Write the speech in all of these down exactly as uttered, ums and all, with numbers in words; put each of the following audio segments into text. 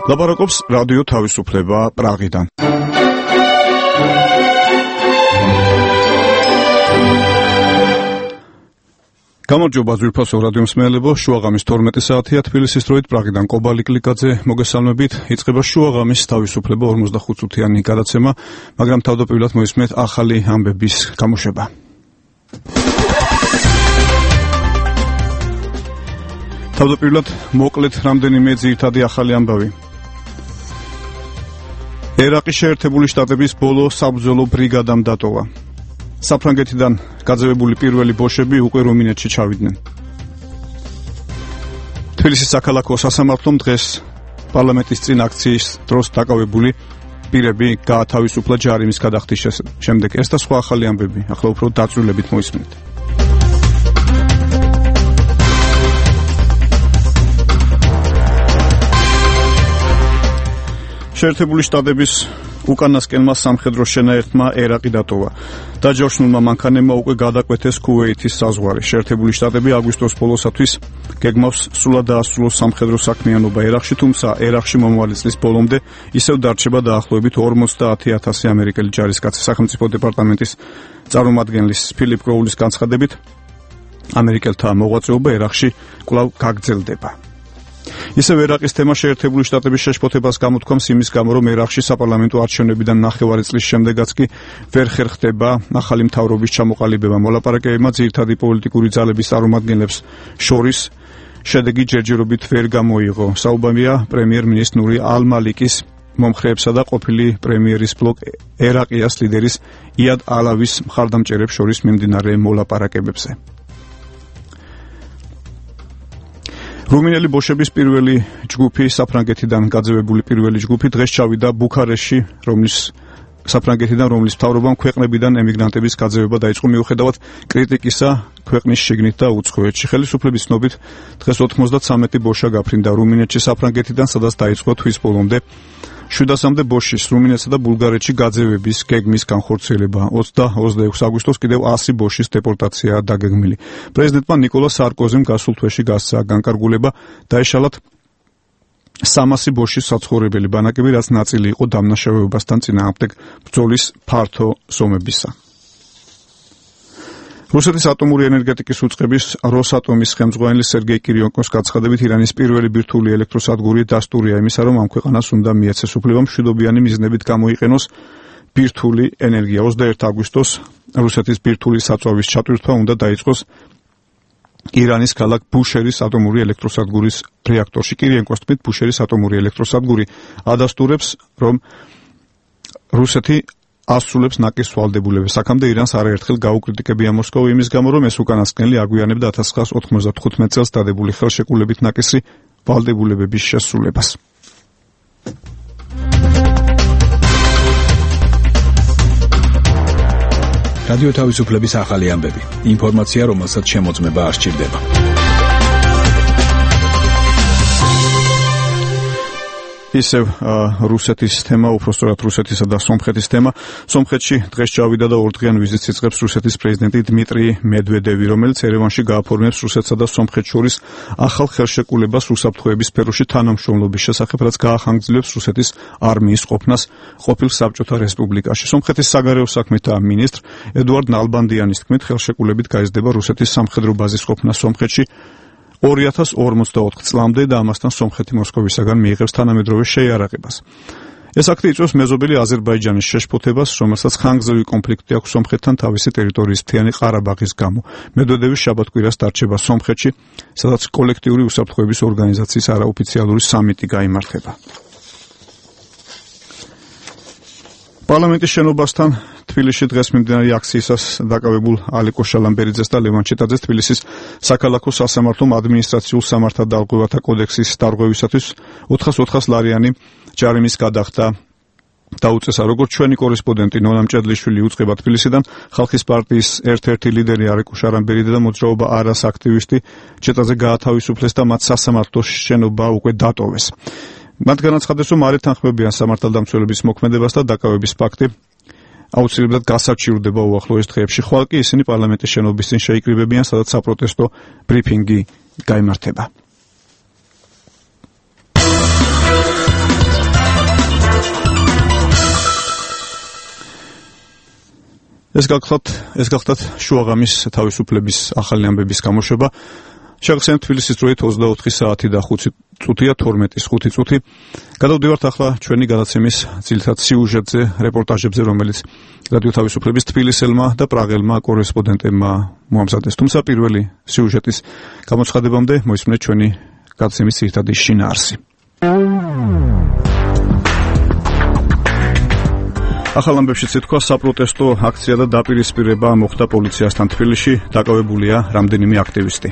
ლაპარაკობს რადიო თავისუფლება პრაღიდან. გამარჯობა ძვირფასო რადიო მსმენელებო, შუაღამის თორმეტი საათია თბილისის დროით პრაღიდან კობალი კლიკაძე მოგესალმებით. იწყება შუაღამის თავისუფლება ორმოცდახუთ წუთიანი გადაცემა, მაგრამ თავდაპირველად მოისმენთ ახალი ამბების გამოშვება. თავდაპირველად მოკლედ რამდენიმე ძირითადი ახალი ამბავი. ერაყის შეერთებული შტატების ბოლო საბრძოლო ბრიგადამ დატოვა. საფრანგეთიდან გაძევებული პირველი ბოშები უკვე რუმინეთში ჩავიდნენ. თბილისის საქალაქო სასამართლომ დღეს პარლამენტის წინ აქციის დროს დაკავებული პირები გაათავისუფლა ჯარიმის გადახდის შემდეგ. ეს და სხვა ახალი ამბები ახლა უფრო დაწვრილებით მოისმენთ. შეერთებული შტატების უკანასკნელმა სამხედრო შენაერთმა ერაყი დატოვა. დაჯავშნულმა მანქანებმა უკვე გადაკვეთეს ქუვეითის საზღვარი. შეერთებული შტატები აგვისტოს ბოლოსათვის გეგმავს სრულად დაასრულოს სამხედრო საქმიანობა ერაყში, თუმცა ერაყში მომავალი წლის ბოლომდე ისევ დარჩება დაახლოებით ორმოცდაათი ათასი ამერიკელი ჯარისკაცი. სახელმწიფო დეპარტამენტის წარმომადგენლის ფილიპ კროულის განცხადებით, ამერიკელთა მოღვაწეობა ერაყში კვლავ გაგრძელდება. ისევ ერაყის თემა შეერთებული შტატების შეშფოთებას გამოთქვამს იმის გამო, რომ ერაყში საპარლამენტო არჩევნებიდან ნახევარი წლის შემდეგაც კი ვერ ხერხდება ახალი მთავრობის ჩამოყალიბება. მოლაპარაკებებმა ძირითადი პოლიტიკური ძალების წარმომადგენლებს შორის შედეგი ჯერჯერობით ვერ გამოიღო. საუბარია პრემიერ-მინისტრის ნური ალ-მალიკის მომხრეებსა და ყოფილი პრემიერის ბლოკ ერაყიას ლიდერის იად ალავის მხარდამჭერებს შორის მიმდინარე მოლაპარაკებებზე. რუმინელი ბოშების პირველი ჯგუფი, საფრანგეთიდან გაძევებული პირველი ჯგუფი დღეს ჩავიდა ბუქარესტში, რომლის საფრანგეთიდან რომლის მთავრობამ ქვეყნებიდან ემიგრანტების გაძევება დაიწყო მიუხედავად კრიტიკისა ქვეყნის შიგნით და უცხოეთში. ხელისუფლების ცნობით დღეს ოცდათვრამეტი ბოშა გაფრინდა რუმინეთში საფრანგეთიდან, სადაც დაიწყო თვის ბოლომდე შვიდასამდე ბოშის რუმინეთსა და ბულგარეთში გაძევების გეგმის განხორციელება. ოცდა-ოცდაექვსი აგვისტოს კიდევ ასი ბოშის დეპორტაციაა დაგეგმილი. პრეზიდენტმა ნიკოლა სარკოზიმ გასულ თვეში გასცა განკარგულება, დაეშალათ სამასი ბოშის საცხოვრებელი ბანაკები, რაც ნაწილი იყო დამნაშავეობასთან წინააღმდეგ ბრძოლის ფართო ზომებისა. რუსეთის ატომური ენერგეტიკის უწყების როსატომის ხელმძღვანელი სერგეი კირიენკოს განცხადებით, ირანის პირველი ბირთვული ელექტროსადგური დასტურია იმისა, რომ ამ ქვეყანას უნდა მიეცეს უფლება მშვიდობიანი მიზნებით გამოიყენოს ბირთვული ენერგია. ოცდაერთი აგვისტოს რუსეთის ბირთვული საწვავის ჩატვირთვა უნდა დაიწყოს ირანის ქალაქ ბუშერის ატომური ელექტროსადგურის რეაქტორში. კირიენკოს თქმით, ბუშერის ატომური ელექტროსადგური ადასტურებს, რომ რუსეთი ასრულებს ნაკის ვალდებულებას. აქამდე ირანს არაერთხელ გაუკრიტიკებია მოსკოვა იმის გამო, რომ ეს უკანასკნელი აგვიანებდა ათას ცხრაასი ოთხმოცდათხუთმეტ წელს დადებული ხელშეკრულებით ნაკისრი ვალდებულებების შესრულებას. რადიო თავისუფლების ახალი ამბები. ინფორმაცია, რომელსაც შემოწმება არ სჭირდება. ისევ რუსეთის თემა, უпростоრად რუსეთისა და სომხეთის თემა. სომხეთში დღეს ჩავიდა და ორდღიან ვიზიტს იწყებს რუსეთის პრეზიდენტი დმიტრი მედვედევი, რომელიც ერევანში გააფორმებს რუსეთსა და სომხეთს შორის ახალ ხელშეკრულებას რუსაფრთხოების სფეროში თანამშრომლობის შესახებ, რაც გაახანგრძლივებს რუსეთის არმიის ყოფნას ყოფილ საბჭოთა რესპუბლიკაში. სომხეთის საგარეო საქმეთა მინისტრ ედუარდ ნალბანდიანის თქმით, ხელშეკრულებით გაიზრდება რუსეთის სამხედრო ბაზის ყოფნა სომხეთში ორი ათას ორმოცდაოთხ წლამდე და ამასთან სომხეთი მოსკოვისაგან მიიღებს თანამედროვე შეიარაღებას. ეს აქტი იწვევს მეზობელი აზერბაიჯანის შეშფოთებას, რომელსაც ხანგრძლივი კონფლიქტი აქვს სომხეთთან თავისი ტერიტორიის მთიანი ყარაბაღის გამო. მედვედევის შაბათ-კვირას დარჩება სომხეთში, სადაც კოლექტიური უსაფრთხოების ორგანიზაციის არაოფიციალური სამიტი გაიმართება. პარლამენტის შენობასთან თბილისში დღეს მიმდინარე აქციისას დაკავებულ ალიკო შალამბერიძეს და ლევან ჩეტაძეს თბილისის საქალაქო სასამართლომ ადმინისტრაციულ სამართალდარღვევათა კოდექსის დარღვევისათვის ოთხას ლარიანი ჯარიმის გადახდა დაუწესა. როგორც ჩვენი კორესპონდენტი ნონა მჭედლიშვილი უწყება თბილისიდან, ხალხის პარტიის ერთ-ერთი ლიდერი ალიკო შალამბერიძე და მოძრაობა არას აქტივისტი ჩეტაძე გაათავისუფლეს და მათ სასამართლოს შენობა უკვე დატოვეს. მათ განაცხადეს, რომ არ ეთანხმებიან სამართალდამცველების მოქმედებას და დაკავების ფაქტი აუცილებლად გასაჩივრდება უახლოეს დღეებში. ხვალ კი ისინი პარლამენტის შენობის წინ შეიკრიბებიან, სადაც საპროტესტო ბრიფინგი გაიმართება. ეს გახლავთ ეს გახლავთ შუაღამის თავისუფლების ახალი ამბების გამოშვება. შეგახსენებთ თბილისის დროით ოცდაოთხი საათი და ხუთი წუთია თორმეტის ხუთი წუთი. გადავდივართ ახლა ჩვენი გადაცემის ძირითად სიუჟეტზე, რეპორტაჟებზე, რომელიც რადიო თავისუფლების თბილისელმა და პრაღელმა კორესპონდენტებმა მოამზადეს. თუმცა პირველი სიუჟეტის გამოცხადებამდე მოისმინეთ ჩვენი გადაცემის ძირითადი შინაარსი. ახალ ამბებშიც ითქვა, საპროტესტო აქცია და დაპირისპირება მოხდა პოლიციასთან თბილისში, დაკავებულია რამდენიმე აქტივისტი.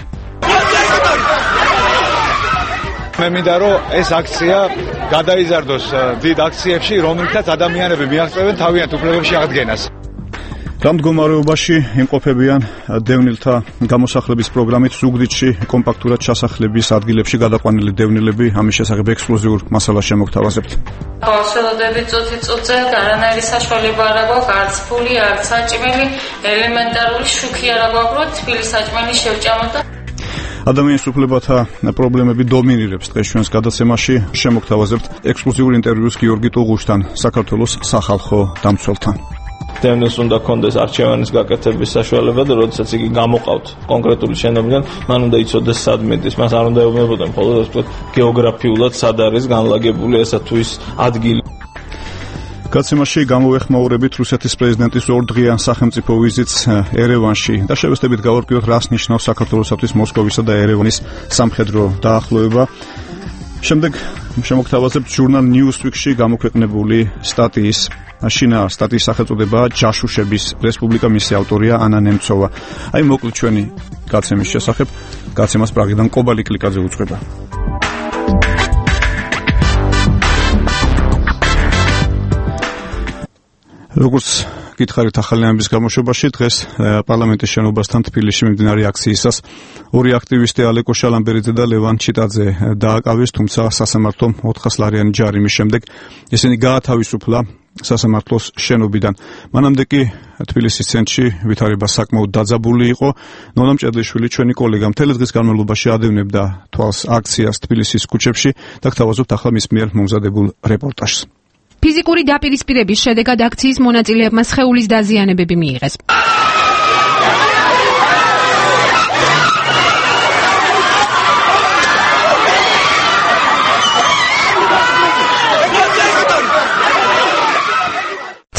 მე მინდა რომ ეს აქცია გადაიზარდოს დიდ აქციებში, რომელთაც ადამიანები მიაღწევენ თავიანთ უფლებებში აღდგენას. რამ მდგომარეობაში იმყოფებიან დევნილთა გამოსახლების პროგრამით ზუგდიდში კომპაქტურად ჩასახლების ადგილებში გადაყვანილი დევნილები, ამის შესახებ ექსკლუზიურ მასალას შემოგთავაზებთ. ხალხელოდები წუთი წუთზე არანაირი საშუალება არ აქვს, არც ფული, არც საჭმელი, ელემენტარული შუქი არ აქვს, თბილის საჭმელი შევჭამოთ და ადამიანის უფლებათა პრობლემები დომინირებს დღეს ჩვენს გადაცემაში. შემოგთავაზებთ ექსკლუზიურ ინტერვიუს გიორგი ტუღუშთან, საქართველოს სახალხო დამცველთან. დევნილს უნდა კონდეს არჩევანის გაკეთების საშუალება და როდესაც იგი გამოყავთ კონკრეტული შენობიდან, მან უნდა იცოდეს სად მიდის, მას არ უნდა ეუბნებოდნენ მხოლოდ ასე ვთქვათ გეოგრაფიულად სად არის განლაგებული ესა თუ ის ადგილი. გადაცემაში გამოვეხმაურებით რუსეთის პრეზიდენტის ორდღიან სახელმწიფო ვიზიტს ერევანში და შევესწრებით გავარკვიოთ, რას ნიშნავს საქართველოსთვის მოსკოვისა და ერევანის სამხედრო დაახლოება. შემდეგ შემოგთავაზებთ ჟურნალ Newsweek-ში გამოქვეყნებული სტატიის შინაარ სტატიის სახელწოდებაა ჯაშუშების რესპუბლიკა, მისი ავტორია ანა ნემცოვა. აი მოკლედ ჩვენი გადაცემის შესახებ. გადაცემას პრაღიდან კობალი კლიკაძე უწყება. როგორც გითხარით ახალი ამბების გამოშვებაში, დღეს პარლამენტის შენობასთან თბილისში მიმდინარე აქციისას ორი აქტივისტი ალეკო შალამბერიძე და ლევან ჩიტაძე დააკავეს, თუმცა სასამართლომ ოთხასლარიანი ჯარიმის შემდეგ ისინი გაათავისუფლა სასამართლოს შენობიდან. მანამდე კი თბილისის ცენტრში ვითარება საკმაოდ დაძაბული იყო. ნონა მჭედლიშვილი, ჩვენი კოლეგა, მთელი დღის განმავლობაში ადევნებდა თვალს აქციას თბილისის ქუჩებში და გთავაზობთ ახლა მის მიერ მომზადებულ რეპორტაჟს. ფიზიკური დაპირისპირების შედეგად აქციის მონაწილეებმა სხეულის დაზიანებები მიიღეს.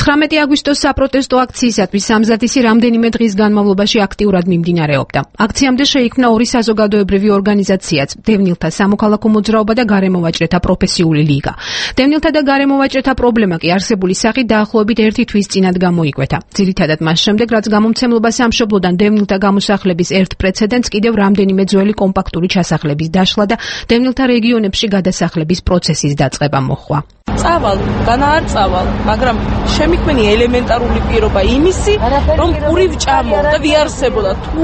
ცხრამეტი აგვისტოს საპროტესტო აქციისათვის სამზადისი რამდენიმე დღის განმავლობაში აქტიურად მიმდინარეობდა. აქციამდე შეიქმნა ორი საზოგადოებრივი ორგანიზაციაც, დევნილთა სამოქალაქო მოძრაობა და გარემოვაჭრეთა პროფესიული ლიგა. დევნილთა და გარემოვაჭრეთა პრობლემა კი არსებული სახით დაახლოებით ერთი თვის წინათ გამოიკვეთა. ძირითადად მას შემდეგ, რაც გამომცემლობა სამშობლოდან დევნილთა გამოსახლების ერთ პრეცედენტს კიდევ რამდენიმე ძველი კომპაქტური ჩასახლების დაშლა და დევნილთა რეგიონებში გადასახლების პროცესის დაწყება მოჰყვა. წავალ, განა არ წავალ, მაგრამ შემიქმნი ელემენტარული პირობა იმისი, რომ პური ვჭამო და ვიარსებოდა. თუ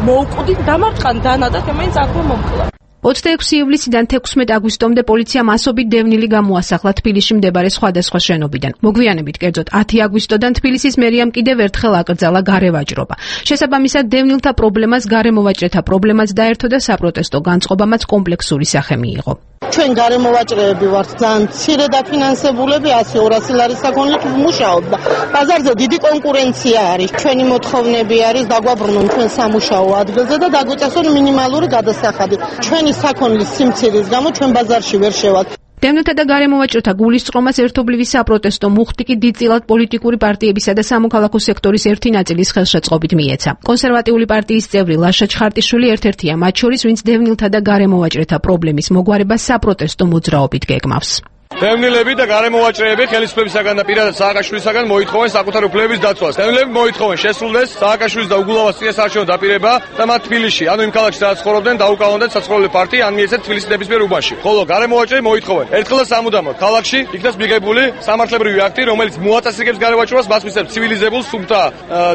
მოვკვდით, დამარცხან დანა და თემენს აქვე მომკლა. ოცდაექვსი ივლისიდან თექვსმეტი აგვისტომდე პოლიციამ ასობით დევნილი გამოასახლა თბილისში მდებარე სხვადასხვა შენობიდან. მოგვიანებით, კერძოდ ათი აგვისტოდან თბილისის მერიამ კიდევ ერთხელ აკრძალა გარევაჭრობა. შესაბამისად, დევნილთა პრობლემას გარემოვაჭრეთა პრობლემაც დაერთო და საპროტესტო განწყობამაც კომპლექსური სახე მიიღო. ჩვენ გარემოვაჭრეები ვართ ძალიან მცირე დაფინანსებულები, ასი ორასი ლარის საქონლით ვმუშაობ და ბაზარზე დიდი კონკურენცია არის. ჩვენი მოთხოვნები არის დაგვაბრუნონ ჩვენ სამუშაო ადგილზე და დაგვიწესონ მინიმალური გადასახადი. ჩვენი საქონლის სიმცირის გამო ჩვენ ბაზარში ვერ შევალთ. დევნილთა და გარემოვაჭრეთა გულისწყრომას ერთობლივი საპროტესტო მუხტი კი დიდწილად პოლიტიკური პარტიებისა და სამოქალაქო სექტორის ერთი ნაწილის ხელშეწყობით მიეცა. კონსერვატიული პარტიის წევრი ლაშა ჩხარტიშვილი ერთ-ერთია მათ შორის, ვინც დევნილთა და გარემოვაჭრეთა პრობლემის მოგვარებას საპროტესტო მოძრაობით გეგმავს. დევნილები და გარემოვაჭრეები ხელისუფლებისაგან და პირადად სააკაშვილისაგან მოითხოვენ საკუთარ უფლებების დაცვას. დევნილები მოითხოვენ შესრულდეს სააკაშვილის და უგულავას წინასაარჩევნო დაპირება და მათ თბილისში, ანუ იმ ქალაქში სადაც ცხოვრობდნენ, დაუკავონდნენ საცხოვრებელი პარტია, ან მიეცეთ თბილისის ნებისმიერ უბანში. ხოლო გარემოვაჭრეები მოითხოვენ ერთხელ და სამუდამოდ ქალაქში იქნას მიღებული სამართლებრივი აქტი, რომელიც მოაწესრიგებს გარემოვაჭრებას, მას მისცემს ცივილიზებულ, სუფთა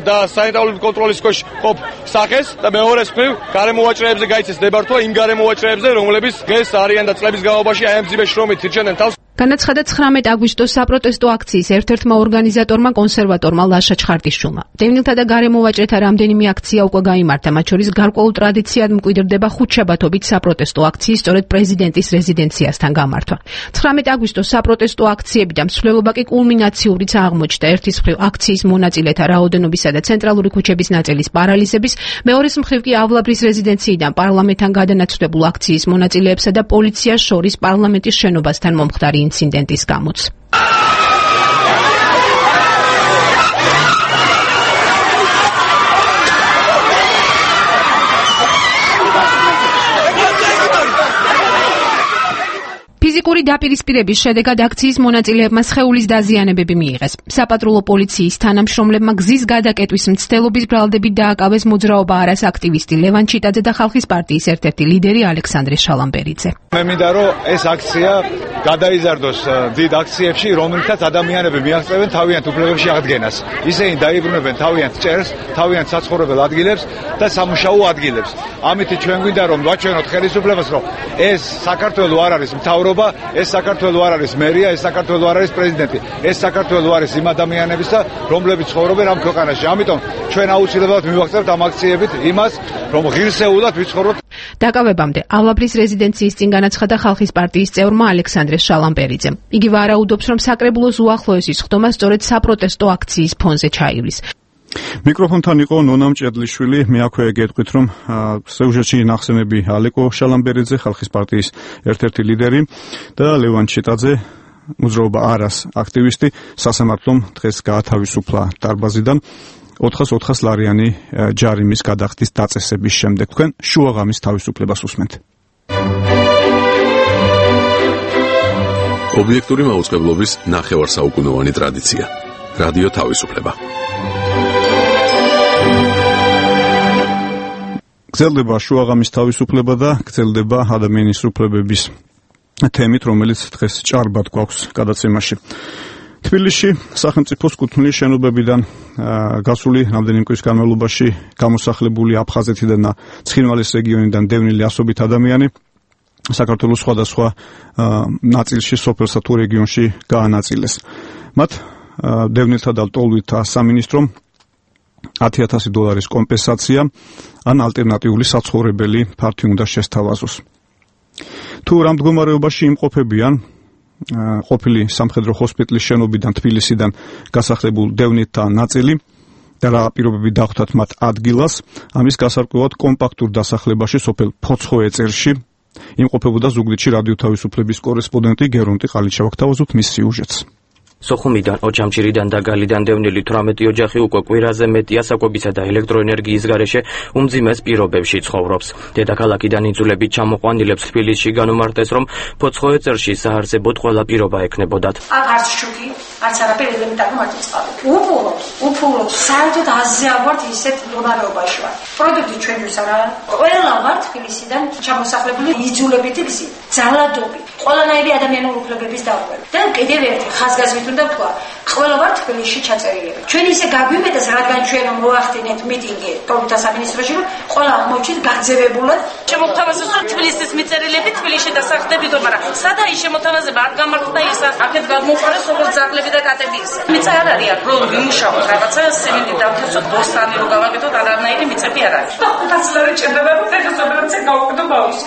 და სანიტარული კონტროლის ქვეშ ყოფ სახეს და მეორეს მხრივ გარემოვაჭრეებზე გაიცეს ნებართვა იმ გარემოვაჭრეებზე, რომლებიც დღეს არიან და წლების განმავლობაში აი ამ ძიმე შრომით ირჩენენ თავს. განაცხადა ცხრამეტ აგვისტოს საპროტესტო აქციის ერთ-ერთმა ორგანიზატორმა კონსერვატორმა ლაშა ჩხარტიშვილმა. დევნილთა და გარემოვაჭრეთა რამდენიმე აქცია უკვე გაიმართა, მათ შორის გარკვეულ ტრადიციად მკვიდრდება ხუთშაბათობით საპროტესტო აქციის სწორედ პრეზიდენტის რეზიდენციასთან გამართვა. ცხრამეტ აგვისტოს საპროტესტო აქციები და მსვლელობა კი კულმინაციურიც აღმოჩნდა. ერთის მხრივ აქციის მონაწილეთა რაოდენობისა და ცენტრალური ქუჩების ნაწილის პარალიზების, მეორეს მხრივ კი ავლაბრის რეზიდენციიდან პარლამენტთან გადანაცვლებულ აქციის მონაწილეებსა და პოლიციას შორის პარლამენტის შენობასთან მომხდარი ინციდენტის გამოც. ფიზიკური დაპირისპირების შედეგად აქციის მონაწილეებმა სხეულის დაზიანებები მიიღეს. საპატრულო პოლიციის თანამშრომლებმა გზის გადაკეტვის მცდელობის ბრალდებით დააკავეს მოძრაობა არას აქტივისტი ლევან ჩიტაძე და ხალხის პარტიის ერთ-ერთი ლიდერი ალექსანდრე შალამბერიძე. მე მინდა რომ ეს აქცია გადაიზარდოს დიდ აქციებში, რომელთაც ადამიანები მიაღწევენ თავიანთ უფლებებში აღდგენას. ისინი დაიბრუნებენ თავიანთ ჭერს, თავიანთ საცხოვრებელ ადგილებს და სამუშაო ადგილებს. ამით ჩვენ გვინდა რომ ვაჩვენოთ ხელისუფლებას, რომ ეს საქართველო არ არის მთავრობა, ეს საქართველო არ არის მერია, ეს საქართველო არ არის პრეზიდენტი, ეს საქართველო არის იმ ადამიანებისა, რომლებიც ცხოვრობენ ამ ქვეყანაში. ამიტომ ჩვენ აუცილებლად მივაღწევთ ამ აქციებით იმას, რომ ღირსეულად ვიცხოვროთ. დაკავებამდე ავლაბრის რეზიდენციის წინ განაცხადა ხალხის პარტიის წევრმა ალექსანდრე შალამბერიძემ. იგი ვარაუდობს, რომ საკრებულოს უახლოესის ხდომა სწორედ საპროტესტო აქციის ფონზე ჩაივლის. მიკროფონთან იყო ნონა მჭედლიშვილი. მე აქვე გეტყვით, რომ სიუჟეტში ნახსენები ალეკო შალამბერიძე, ხალხის პარტიის ერთ-ერთი ლიდერი და ლევან ჩიტაძე, მოძრაობა არას აქტივისტი, სასამართლომ დღეს გაათავისუფლა დარბაზიდან ოთხას ოთხას ლარიანი ჯარიმის გადახდის დაწესების შემდეგ. თქვენ შუაღამის თავისუფლებას უსმენთ. ობიექტური მაუწყებლობის ნახევარსაუკუნოვანი ტრადიცია. რადიო თავისუფლება. გრძელდება შუაღამის თავისუფლება და გრძელდება ადამიანის უფლებების თემით, რომელიც დღეს ჭარბად გვაქვს გადაცემაში. თბილისში სახელმწიფოს კუთვნილი შენობებიდან გასული რამდენიმე კვირის განმავლობაში გამოსახლებული აფხაზეთიდან და ცხინვალის რეგიონიდან დევნილი ასობით ადამიანი საქართველოს სხვადასხვა ნაწილში, სოფელსა თუ რეგიონში გაანაწილეს. მათ დევნილთა და ლტოლვილთა სამინისტრომ ათი ათასი დოლარის კომპენსაცია ან ალტერნატიული საცხოვრებელი ფართი უნდა შესთავაზოს. თუ რამ მდგომარეობაში იმყოფებიან ყოფილი სამხედრო ჰოსპიტალის შენობიდან თბილისიდან გასახლებულ დევნილთა ნაწილი და რა პირობები დახვდათ მათ ადგილას, ამის გასარკვევად კომპაქტურ დასახლებაში სოფელ ფოცხოეწერში იმყოფებოდა ზუგდიდში რადიო თავისუფლების კორესპონდენტი გერონტი ყალიჩევა. გთავაზობთ მის სიუჟეტს. სოხუმიდან, ოჯამჭირიდან და გალიდან დევნილი თვრამეტი ოჯახი უკვე კვირაზე მეტი ასაკობისა და ელექტროენერგიის გარეშე უმძიმეს პირობებში ცხოვრობს. დედაქალაქიდან იძულებით ჩამოყვანილებს თბილისში განუმარტეს, რომ ფოცხოეწერში საარსებოდ ყველა პირობა ექნებოდათ. აქ არც შუქი, არც არაფერი ელემენტარული მარტივწყალი. უფულობ, უფულობ, საერთოდ აზზე ავართ ისეთ მდგომარეობაში ვარ. პროდუქტი ჩვენთვის არა. ყველა ვარ თბილისიდან ჩამოსახლებული იძულებითი გზით, ძალადობით, ყველანაირი ადამიანური უფლებების დარღვევა. და კიდევ ერთი ხაზგასმით უნდა ვთქვა, ყველა ვარ თბილისში ჩაწერილები. ჩვენ ისე გაგვიმეტეს, რადგან ჩვენ მოახდინეთ მიტინგი თორთა სამინისტროში, რომ ყველა მოჩით გაგზავებულად. შემოთავაზეს, რომ თბილისის მიწერილები თბილისში დასახლდებიდო, მაგრამ სადა ის შემოთავაზება არ გამართდა ისა. აქეთ გამოყარეს როგორც ძაღლები და კატები ისე. მიწა არ არის, რომ ვიმუშაოთ რაღაცა სიმინდი დავთესოთ, ბოსტანი რო გავაკეთოთ, არანაირი მიწები არ არის. და ხუთას ლარი ჭირდება, რომ ფეხსაბრაცე გავუკეთო ბავშვს.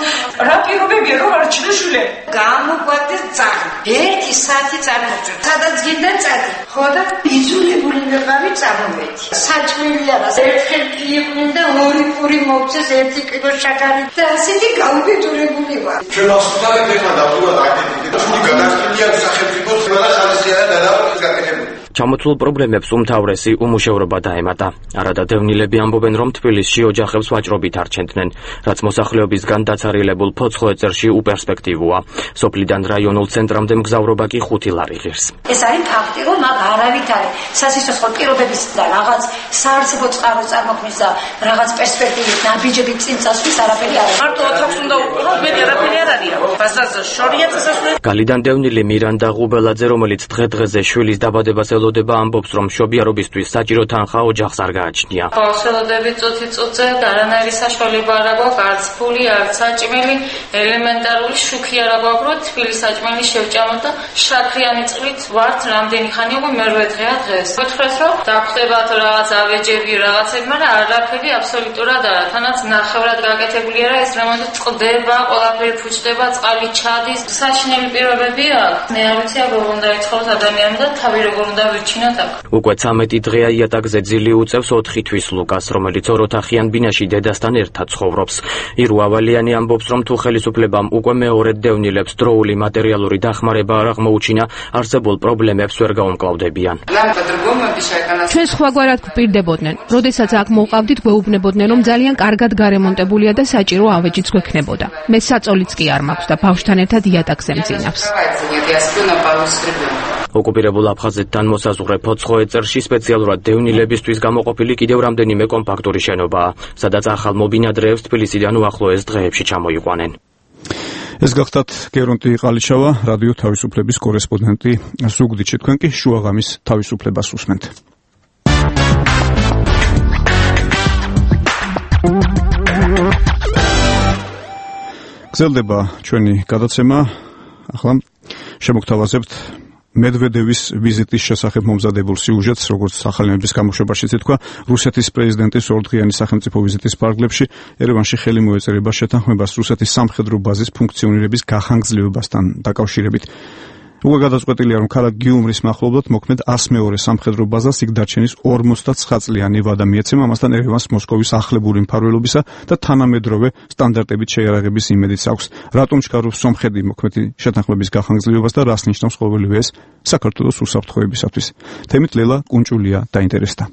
რა პირობებია, რომ არჩინო შვილები? გამოგვაქვს ძაღლი. ერთი საათი წარმოჭრა. სადაც გინდა წადი. ხო და იძულებული ვიყავი წამოვედი. საჭმელი არა, ერთხელ კი იყვნენ და ორი პური მოვცეს, ერთი კილო შაქარი და ასეთი გაუბედურებული ვარ. ჩვენ ასწავლეთ ეხლა დავუბრუნდით აკეთეთ. ჩვენი გადასწრულია სახელმწიფოს და ხალხის გადააყენეს გაკეთებული. ჩამოთვლილ პრობლემებს უმთავრესი უმუშევრობა დაემატა. არადა დევნილები ამბობენ, რომ თბილისში ოჯახებს ვაჭრობით არჩენდნენ, რაც მოსახლეობისგან დაცარილებულ ფოცხოეწერში უპერსპექტივოა. სოფლიდან რაიონულ ცენტრამდე მგზავრობა კი ხუთი ლარი ღირს. ეს არის ფაქტი, რომ მაგ არავით არის სასიცოცხლო პირობების და რაღაც საარსებო წყაროს წარმოქმნის და რაღაც პერსპექტივის ნაბიჯებით წინ წასვლის არაფერი არ არის. მარტო ოთახს უნდა უყუროთ, მეტი არაფერი არ არის. ბას გზაზე შორია წესასწაული. გალიდან დევნილი მირანდა ღუბელაძე, რომელიც დღე-დღეზე შვილის დაბადებას ელოდება, ამბობს, რომ მშობიარობისთვის საჭირო თანხა ოჯახს არ გააჩნია. ბავშვები წუთი-წუთზე არანაირი საშუალება არ აქვს, არც ფული, არც საჭმელი, ელემენტარული შუქი არ აქვს, რომ თბილი საჭმელი შევჭამოთ და შაქრიანი წყლით ვართ რამდენი ხანი უკვე მერვე დღეა დღეს. გითხრათ, რომ დაგვხდებათ რაღაც ავეჯები, რაღაცები, მაგრამ არაფერი აბსოლუტურად არა. თანაც ნახევრად გაკეთებული არა, ეს რამონდა წყდება, ყველაფერი ფუჭდება, წყალი ჩადის. საშინელი პირობები აქვს. მე არ ვიცი, როგორ უნდა იცხოვროს ადამიანი და თავი როგორ უნდა ვირჩინოთ აქ. უკვე ცამეტი დღეა იატაკზე ძილი უწევს ოთხი თვის ლუკას, რომელიც ოროთახიან ბინაში დედასთან ერთად ცხოვრობს. ირუ ავალიანი ამბობს, რომ თუ ხელისუფლებამ უკვე მეორედ დევნილებს დროული მატერიალური დახმარება არ აღმოუჩინა, არსებულ პრობლემებს ვერ გაუმკლავდებიან. ჩვენ სხვაგვარად გვპირდებოდნენ. როდესაც აქ მოვყავდით, გვეუბნებოდნენ, რომ ძალიან კარგად გარემონტებულია და საჭირო ავეჯიც გვექნებოდა. მე საწოლიც კი არ მაქვს და ბავშვთან ერთად იატაკზე მძინავს. ოკუპირებულ აფხაზეთთან მოსაზღვრე ფოცხოეწერში სპეციალურად დევნილებისთვის გამოყოფილი კიდევ რამდენიმე კომპაქტური შენობაა, სადაც ახალ მობინადრეებს თბილისიდან უახლოეს დღეებში ჩამოიყვანენ. ეს გახდათ გერონტი ყალიშავა, რადიო თავისუფლების კორესპონდენტი ზუგდიდში. თქვენ კი შუაღამის თავისუფლებას უსმენთ. გრძელდება ჩვენი გადაცემა. ახლა შემოგთავაზებთ მედვედევის ვიზიტის შესახებ მომზადებულ სიუჟეტს, როგორც ახალი ნების გამოშვებაშიც ითქვა, რუსეთის პრეზიდენტის ორდღიანი სახელმწიფო ვიზიტის პარკლებში ერევანში ხელი მოეწერება შეთანხმებას რუსეთის სამხედრო ბაზის ფუნქციონირების გახანგრძლივებასთან დაკავშირებით. უკვე გადაწყვეტილია, რომ ქალაქ გიუმრის მახლობლად მოქმედ ას მეორე სამხედრო ბაზას იქ დარჩენის ორმოცდაცხრა წლიანი ვადა მიეცემა, ამასთან ერევანს მოსკოვის ახლებური მფარველობისა და თანამედროვე სტანდარტებით შეიარაღების იმედიც აქვს. რატომ ჩქარობს სომხეთი მოქმედი შეთანხმების გახანგრძლივებას და რას ნიშნავს ყოველივე ეს საქართველოს უსაფრთხოებისათვის? თემით ლელა კუნჭულია დაინტერესდა.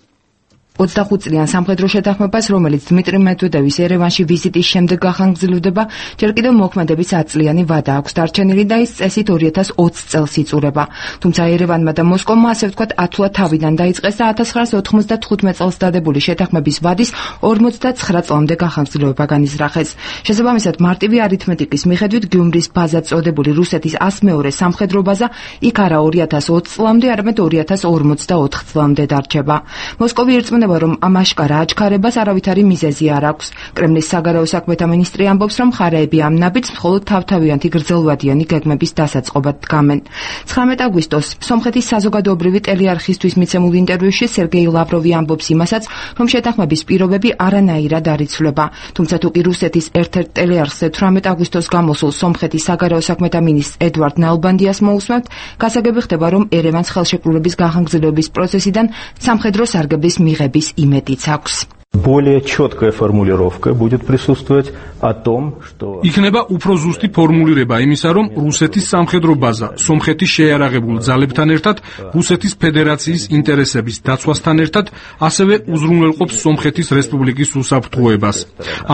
ოცდახუთ წლიან სამხედრო შეთანხმებას, რომელიც დმიტრი მედვედევის ერევანში ვიზიტის შემდეგ გახანგრძლივდება, ჯერ კიდევ მოქმედების ათ წლიანი ვადა აქვს დარჩენილი და ის წესით ორი ათას ოცი წელს იწურება. თუმცა ერევანმა და მოსკოვმა, ასე ვთქვათ, ათულად თავიდან დაიწყეს და ათას ცხრაას ოთხმოცდათხუთმეტ წელს დადებული შეთანხმების ვადის ორმოცდაცხრა წლამდე გახანგრძლივება განიზრახეს. შესაბამისად, მარტივი არითმეტიკის მიხედვით გიუმრის ბაზად წოდებული რუსეთის ას მეორე სამხედრო ბაზა იქ არა ორი ათას ოცი წლამდე, არამედ ორი ათას ორმოცდაოთხ წლამდე დარჩება. მოსკოვი ერწმუნება, რომ ამ აშკარა აჩქარებას არავითარი მიზეზი არ აქვს. კრემლის საგარეო საქმეთა მინისტრი ამბობს, რომ მხარეები ამ ნაბიჯს მხოლოდ თავთავიანთი გრძელვადიანი გეგმების დასაწყობად დგამენ. ცხრამეტ აგვისტოს სომხეთის საზოგადოებრივი ტელეარხისთვის მიცემულ ინტერვიუში სერგეი ლავროვი ამბობს იმასაც, რომ შეთანხმების პირობები არანაირად არ იცვლება. თუმცა თუ კი რუსეთის ერთ-ერთ ტელეარხზე თვრამეტ აგვისტოს გამოსულ სომხეთის საგარეო საქმეთა მინისტრ ედვარდ ნალბანდიას მოусმენთ, გასაგები ხდება, რომ ერევანს ხელშეკრულების გახანგრძლივების პროცესიდან სამხედრო სარგებლის მიღება იმედიც აქვს. Более четкая формулировка будет присутствовать о том, что იქნება უფრო ზუსტი ფორმულირება იმისა, რომ რუსეთის სამხედრო ბაზა სომხეთის შეიარაღებულ ძალებთან ერთად რუსეთის ფედერაციის ინტერესების დაცვასთან ერთად ასევე უზრუნველყოფს სომხეთის რესპუბლიკის უსაფრთხოებას.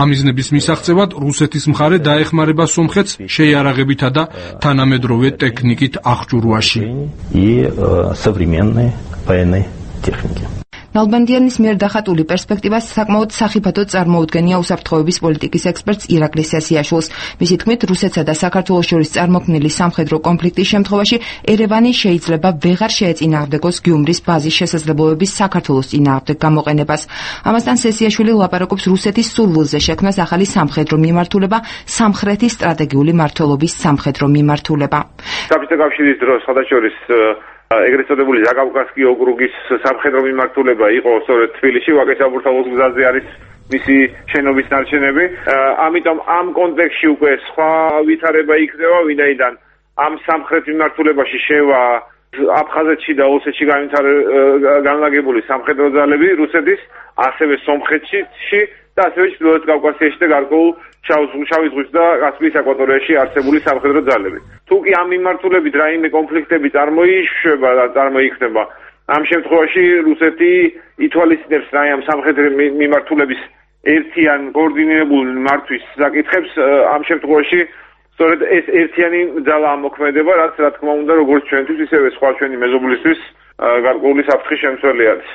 ამ მიზნების მისაღწევად რუსეთის მხარე დაეხმარება სომხეთს შეიარაღებითა და თანამედროვე ტექნიკით აღჭურვაში. и современной военной техники. ნალბანდიანის მიერ დახატული პერსპექტივას საკმაოდ სახიფათოდ წარმოუდგენია უსაფრთხოების პოლიტიკის ექსპერტს ირაკლი სესიაშვილს. მისი თქმით, რუსეთსა და საქართველოს შორის წარმოქმნილი სამხედრო კონფლიქტის შემთხვევაში ერევანი შეიძლება ვეღარ შეეწინააღმდეგოს გიუმრის ბაზის შესაძლებლობების საქართველოს წინააღმდეგ გამოყენებას. ამასთან სესიაშვილი ლაპარაკობს რუსეთის სურვილზე შექმნას ახალი სამხედრო მიმართულება, სამხრეთის სტრატეგიული მმართველობის სამხედრო მიმართულება. საბჭოთა კავშირის დროს ხადაშორის ეგრეთ წოდებული ზაკავკასკი ოკრუგის სამხედრო მიმართულება იყო სწორედ თბილისში, ვაკე-საბურთალოს გზაზე არის მისი შენობის ნარჩენები. ამიტომ ამ კონტექსტში უკვე სხვა ვითარება იქნება, ვინაიდან ამ სამხრეთ მიმართულებაში შევა აფხაზეთში და ოსეთში განლაგებული სამხედრო ძალები რუსეთის, ასევე სომხეთში და ასევე ჩრდილოეთ კავკასიაში და გარკვეულ შავი ზღვის და კასპიის აკვატორიაში არსებული სამხედრო ძალები. თუ კი ამ მიმართულებით რაიმე კონფლიქტები წარმოიშვება და წარმოიქმნება, ამ შემთხვევაში რუსეთი ითვალისწინებს რა ამ სამხედრო მიმართულების ერთიან კოორდინირებულ მართვის საკითხებს. ამ შემთხვევაში სწორედ ეს ერთიანი ძალა მოქმედება, რაც რა თქმა უნდა როგორც ჩვენთვის, ისევე სხვა ჩვენი მეზობლისთვის გარკვეული საფრთხის შემცველი არის.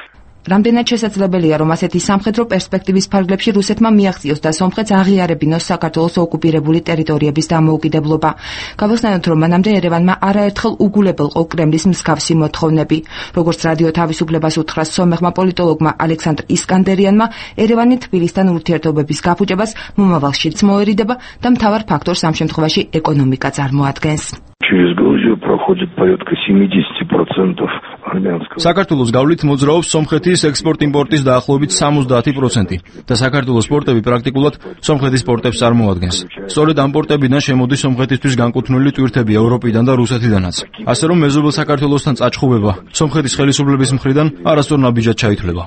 რამდენად შესაძლებელია, რომ ასეთი სამხედრო პერსპექტივის ფარგლებში რუსეთმა მიაღწიოს და სომხეთს აღიარებინოს საქართველოს ოკუპირებული ტერიტორიების დამოუკიდებლობა. Გავხსნათ, რომ მანამდე ერევანმა არაერთხელ უგულებელყო კრემლის მსგავსი მოთხოვნები. Როგორც რადიო თავისუფლებას უთხრა სომეხმა პოლიტოლოგმა ალექსანდრ ისკანდერიანმა, ერევანი თბილისთან ურთიერთობების გაფუჭებას მომავალშიც მოერიდება და მთავარ ფაქტორს ამ შემთხვევაში ეკონომიკა წარმოადგენს. Через Грузию проходит порядка семьдесят процентов армянского. საქართველოს გავლით მოძრაობს სომხეთის ექსპორტ-იმპორტის დაახლოებით სამოცდაათი პროცენტი და საქართველოს პორტები პრაქტიკულად სომხეთის პორტებს წარმოადგენს. სწორედ ამ პორტებიდან შემოდის სომხეთისთვის განკუთვნილი ტვირთები ევროპიდან და რუსეთიდანაც. ასე რომ მეზობელ საქართველოსთან წაჩხუბება სომხეთის ხელისუფლების მხრიდან არასწორ ნაბიჯად ჩაითვლება.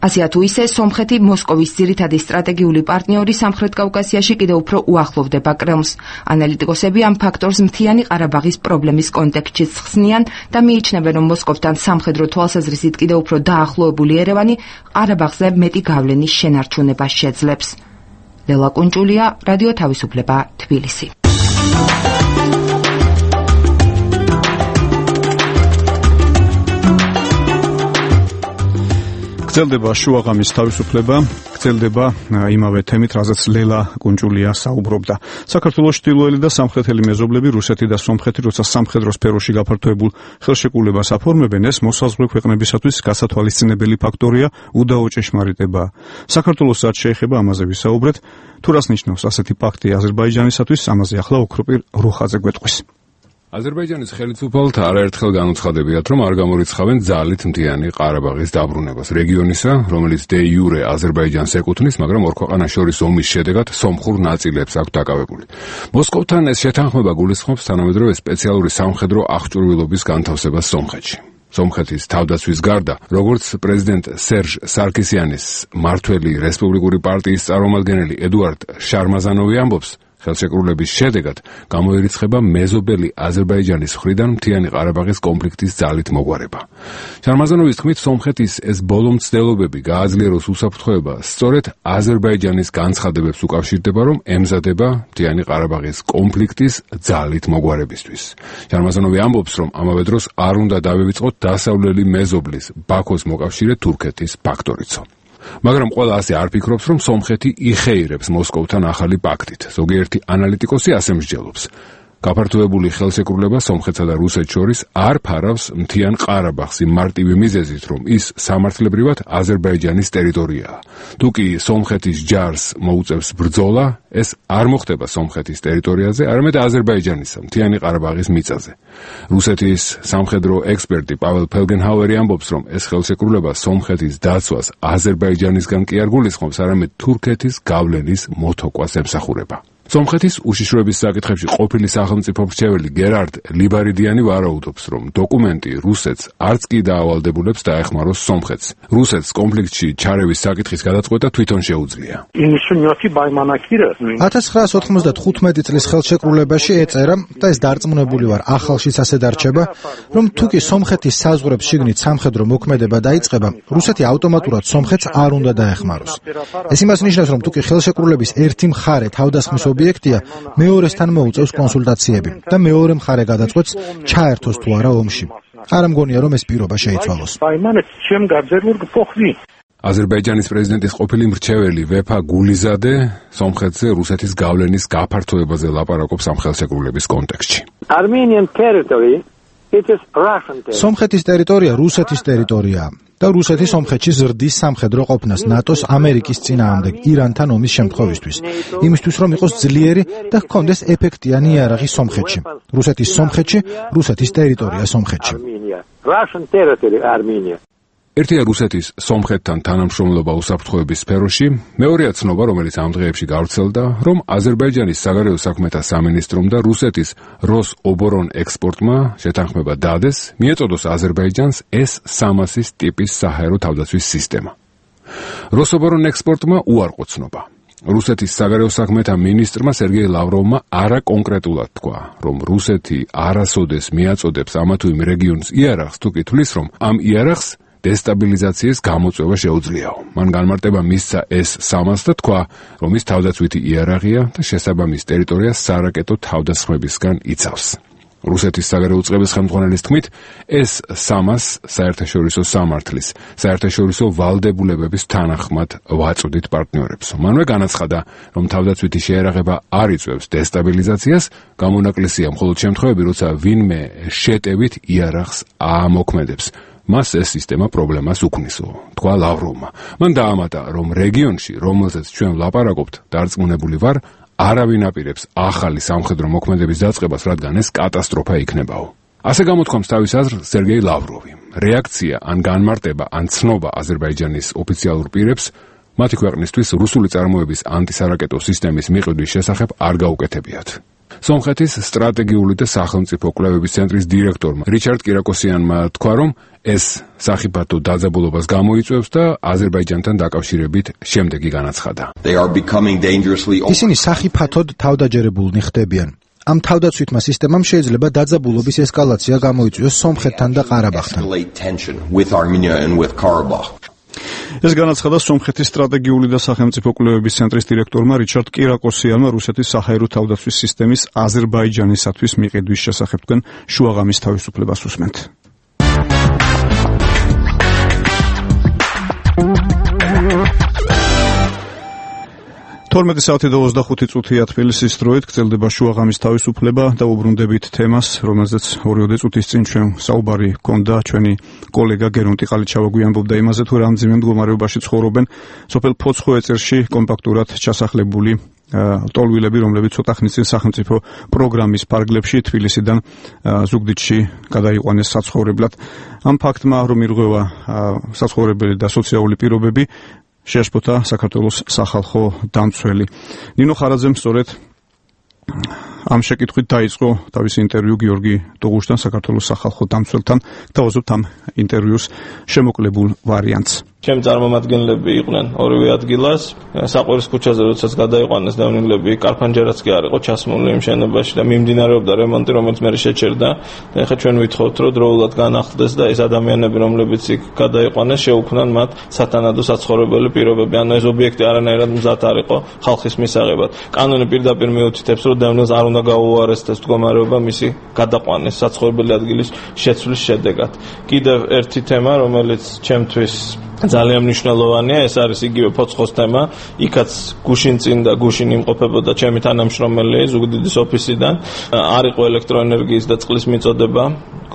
ასეა თუ ისე, სომხეთი მოსკოვის ძირითადი სტრატეგიული პარტნიორი სამხრეთ კავკასიაში კიდევ უფრო უახლოვდება კრემლს. ანალიტიკოსები ამ ფაქტორს მთიანი ყარაბაღის პრობლემის კონტექსტშიც ხსნიან და მიიჩნევენ, რომ მოსკოვთან სამხედრო თვალსაზრისით კიდევ უფრო დაახლოებული ერევანი ყარაბაღზე მეტი გავლენის შენარჩუნებას შეძლებს. ლელა კუნჭულია, რადიო თავისუფლება, თბილისი. გრძელდება შუაღამის თავისუფლება, გრძელდება იმავე თემით, რაზეც ლელა კუნჭულია საუბრობდა. საქართველოს ჩრდილოელი და სამხრეთელი მეზობლები რუსეთი და სომხეთი, როცა სამხედრო სფეროში გაფართოებულ ხელშეკრულებას აფორმებენ, ეს მოსაზღვრე ქვეყნებისათვის გასათვალისწინებელი ფაქტორია, უდაო ჭეშმარიტებაა. საქართველოსაც შეეხება ამაზე ვისაუბრეთ. თუ რას ნიშნავს ასეთი პაქტი აზერბაიჯანისათვის, ამაზე ახლა ოქროპირ რუხაძე გვეტყვის. აზერბაიჯანის ხელისუფალთა არაერთხელ განუცხადებიათ, რომ არ გამორიცხავენ ძალით მთიანი ყარაბაღის დაბრუნებას რეგიონისა, რომელიც დე იურე აზერბაიჯანს ეკუთვნის, მაგრამ ორ ქვეყანას შორის ომის შედეგად სომხურ ნაწილებს აქვს დაკავებული. მოსკოვთან ეს შეთანხმება გულისხმობს თანამედროვე სპეციალური სამხედრო აღჭურვილობის განთავსებას სომხეთში. სომხეთის თავდაცვის გარდა, როგორც პრეზიდენტ სერჟ სარკისიანის მმართველი რესპუბლიკური პარტიის წარმომადგენელი ედუარდ შარმაზანოვი ამბობს, ხელშეკრულების შედეგად გამოირიცხება მეზობელი აზერბაიჯანის მხრიდან მთიანი ყარაბაღის კონფლიქტის ძალით მოგვარება. შარმაზანოვის თქმით, სომხეთის ეს ბოლო მცდელობები გააძლიეროს უსაფრთხოება სწორედ აზერბაიჯანის განცხადებებს უკავშირდება, რომ ემზადება მთიანი ყარაბაღის კონფლიქტის ძალით მოგვარებისთვის. შარმაზანოვი ამბობს, რომ ამავე დროს არ უნდა დავივიწყოთ დასავლელი მეზობლის ბაქოს მოკავშირე თურქეთის ფაქტორიცო. მაგრამ ყველა ასე არ ფიქრობს, რომ სომხეთი იხეირებს მოსკოვთან ახალი პაქტით. ზოგიერთი ანალიტიკოსი ასე მსჯელობს. გაფართოებული ხელშეკრულება სომხეთსა და რუსეთს შორის არ ფარავს მთიან ყარაბაღს იმ მარტივი მიზეზით, რომ ის სამართლებრივად აზერბაიჯანის ტერიტორიაა. თუ კი სომხეთის ჯარს მოუწევს ბრძოლა, ეს არ მოხდება სომხეთის ტერიტორიაზე, არამედ აზერბაიჯანისა, მთიანი ყარაბაღის მიწაზე. რუსეთის სამხედრო ექსპერტი პაվել ფელგენჰაუერი ამბობს, რომ ეს ხელშეკრულება სომხეთის დაცვას აზერბაიჯანისგან კი არ გულისხმობს, არამედ თურქეთის გავლენის მოთოკვას ემსახურება. სომხეთის უშიშროების საკითხებში ყოფილი სახელმწიფო მრჩეველი გერარდ ლიბარიდიანი ვარაუდობს, რომ დოკუმენტი რუსეთს არც კი დაავალდებულებს დაეხმაროს სომხეთს. რუსეთს კონფლიქტში ჩარევის საკითხის გადაწყვეტა თვითონ შეუძლია. ათას ცხრაას ოთხმოცდათხუთმეტი წლის ხელშეკრულებაში ეწერა და ეს დარწმუნებული ვარ, ახალშიც ასე დარჩება, რომ თუ კი სომხეთის საზღვრებს შიგნით სამხედრო მოქმედება დაიწყება, რუსეთი ავტომატურად სომხეთს არ უნდა დაეხმაროს. ეს იმას ნიშნავს, რომ თუ კი ხელშეკრულების ერთი მხარე თავდასხმის ობიექტია, მეორესთან მოუწევს კონსულტაციები და მეორე მხარე გადაწყვეტს ჩაერთოს თუ არა ომში. არ მგონია, რომ ეს პირობა შეიცვალოს. აზერბაიჯანის პრეზიდენტის ყოფილი მრჩეველი ვეფა გულიზადე სომხეთზე რუსეთის გავლენის გაფართოებაზე ლაპარაკობს ამ ხელშეკრულების კონტექსტში. სომხეთის ტერიტორია რუსეთის ტერიტორიაა და რუსეთი სომხეთში ზრდის სამხედრო ყოფნას ნატოს ამერიკის წინააღმდეგ ირანთან ომის შემთხვევისთვის, იმისთვის რომ იყოს ძლიერი და ჰქონდეს ეფექტიანი იარაღი სომხეთში. რუსეთის სომხეთში, რუსეთის ტერიტორია სომხეთში. ერთია რუსეთის სომხეთთან თანამშრომლობა უსაფრთხოების სფეროში, მეორეა ცნობა, რომელიც ამ დღეებში გავრცელდა, რომ აზერბაიჯანის საგარეო საქმეთა სამინისტრომ და რუსეთის როსობორონ ექსპორტმა შეთანხმება დადეს, მიეწოდოს აზერბაიჯანს ეს სამასის ტიპის საჰაერო თავდაცვის სისტემა. როსობორონ ექსპორტმა უარყო ცნობა. რუსეთის საგარეო საქმეთა მინისტრმა სერგეი ლავროვმა არა კონკრეტულად თქვა, რომ რუსეთი არასოდეს მიაწოდებს ამა თუ იმ რეგიონს იარაღს, თუ კი თვლის, რომ ამ იარაღს დესტაბილიზაციის გამოწვევა შეუძლიაო. მან განმარტება მისცა ეს სამას და თქვა, რომ ის თავდაცვითი იარაღია და შესაბამის ტერიტორიას სარაკეტო თავდასხმებისგან იცავს. რუსეთის საგარეო უწყების ხელმძღვანელის თქმით, ეს სამას საერთაშორისო სამართლის, საერთაშორისო ვალდებულებების თანახმად ვაწოდით პარტნიორებს. მანვე განაცხადა, რომ თავდაცვითი შეერაღება არ იწვევს დესტაბილიზაციას, გამონაკლისია მხოლოდ შემთხვევები, როცა ვინმე შეტევით იარაღს ამოქმედებს. მას ეს სისტემა პრობლემას უქმნისო, თქვა ლავროვმა. მან დაამატა, რომ რეგიონში, რომელზეც ჩვენ ვლაპარაკობთ, დარწმუნებული ვარ, არავინ აპირებს ახალი სამხედრო მოქმედების დაწყებას, რადგან ეს კატასტროფა იქნებაო. ასე გამოთქვამს თავის აზრს სერგეი ლავროვი. რეაქცია ან განმარტება ან ცნობა აზერბაიჯანის ოფიციალურ პირებს მათი ქვეყნისთვის რუსული წარმოების ანტისარაკეტო სისტემის მიყიდვის შესახებ არ გაუკეთებიათ. სომხეთის სტრატეგიული და სახელმწიფო კვლევების ცენტრის დირექტორმა რიჩარდ კირაკოსიანმა თქვა, რომ ეს სახიფათო დაძაბულობას გამოიწვევს და აზერბაიჯანთან დაკავშირებით შემდეგი განაცხადა. ისინი სახიფათოდ თავდაჯერებულნი ხდებიან. ამ თავდაცვითმა სისტემამ შეიძლება დაძაბულობის ესკალაცია გამოიწვიოს სომხეთთან და ყარაბაღთან. ეს განაცხადა სომხეთის სტრატეგიული და სახელმწიფო კვლევების ცენტრის დირექტორმა რიჩარდ კირაკოსიანმა რუსეთის საჰაერო თავდაცვის სისტემის აზერბაიჯანისათვის მიყიდვის შესახებ. თქვენ შუაღამის თავისუფლებას უსმენთ. თორმეტი საათი და ოცდახუთი წუთია თბილისის დროით გრძელდება შუაღამის თავისუფლება და უბრუნდებით თემას, რომელზეც ორი წუთის წინ ჩვენ საუბარი ჰქონდა ჩვენი კოლეგა გერონტი ყალიჩავა გვიანბობდა იმაზე, თუ რამდენიმე მდგომარეობაში ცხოვრობენ სოფელ ფოცხოეწერში კომპაქტურად ჩასახლებული ტოლვილები, რომლებიც ცოტა ხნის წინ სახელმწიფო პროგრამის ფარგლებში თბილისიდან ზუგდიდში გადაიყვანეს საცხოვრებლად. ამ ფაქტმა, რომ ირღვევა საცხოვრებელი და სოციალური პირობები, შეაშფოთა საქართველოს სახალხო დამცველი. ნინო ხარაძემ სწორედ ამ შეკითხვით დაიწყო თავისი ინტერვიუ გიორგი დუღუშთან, საქართველოს სახალხო დამცველთან. დავაზობთ ამ ინტერვიუს შემოკლებულ ვარიანტს. ჩემ წარმომადგენლები იყვნენ ორივე ადგილას, საყვირის ქუჩაზე როდესაც გადაიყვანეს დევნილები, კარფანჯერაც კი არ იყო ჩასმული იმ შენობაში და მიმდინარეობდა რემონტი, რომელიც მე შეჩერდა. და ეხლა ჩვენ ვითხოვთ, რომ დროულად განახლდეს და ეს ადამიანები, რომლებიც იქ გადაიყვანეს, შეუქმნან მათ სათანადო საცხოვრებელი პირობები. ანუ ეს ობიექტი არანაირად მზად არ იყო ხალხის მისაღებად. კანონი პირდაპირ მიუთითებს, რომ დევნილს არ უნდა გაუარესდეს მდგომარეობა მისი გადაყვანის საცხოვრებელი ადგილის შეცვლის შედეგად. კიდევ ერთი თემა, რომელიც ჩემთვის ძალიან მნიშვნელოვანია, ეს არის იგივე ფოცხოს თემა. იქაც გუშინ წინ და გუშინ იმყოფებოდა ჩემი თანამშრომელი ზუგდიდის ოფისიდან. არ იყო ელექტროენერგიის და წყლის მიწოდება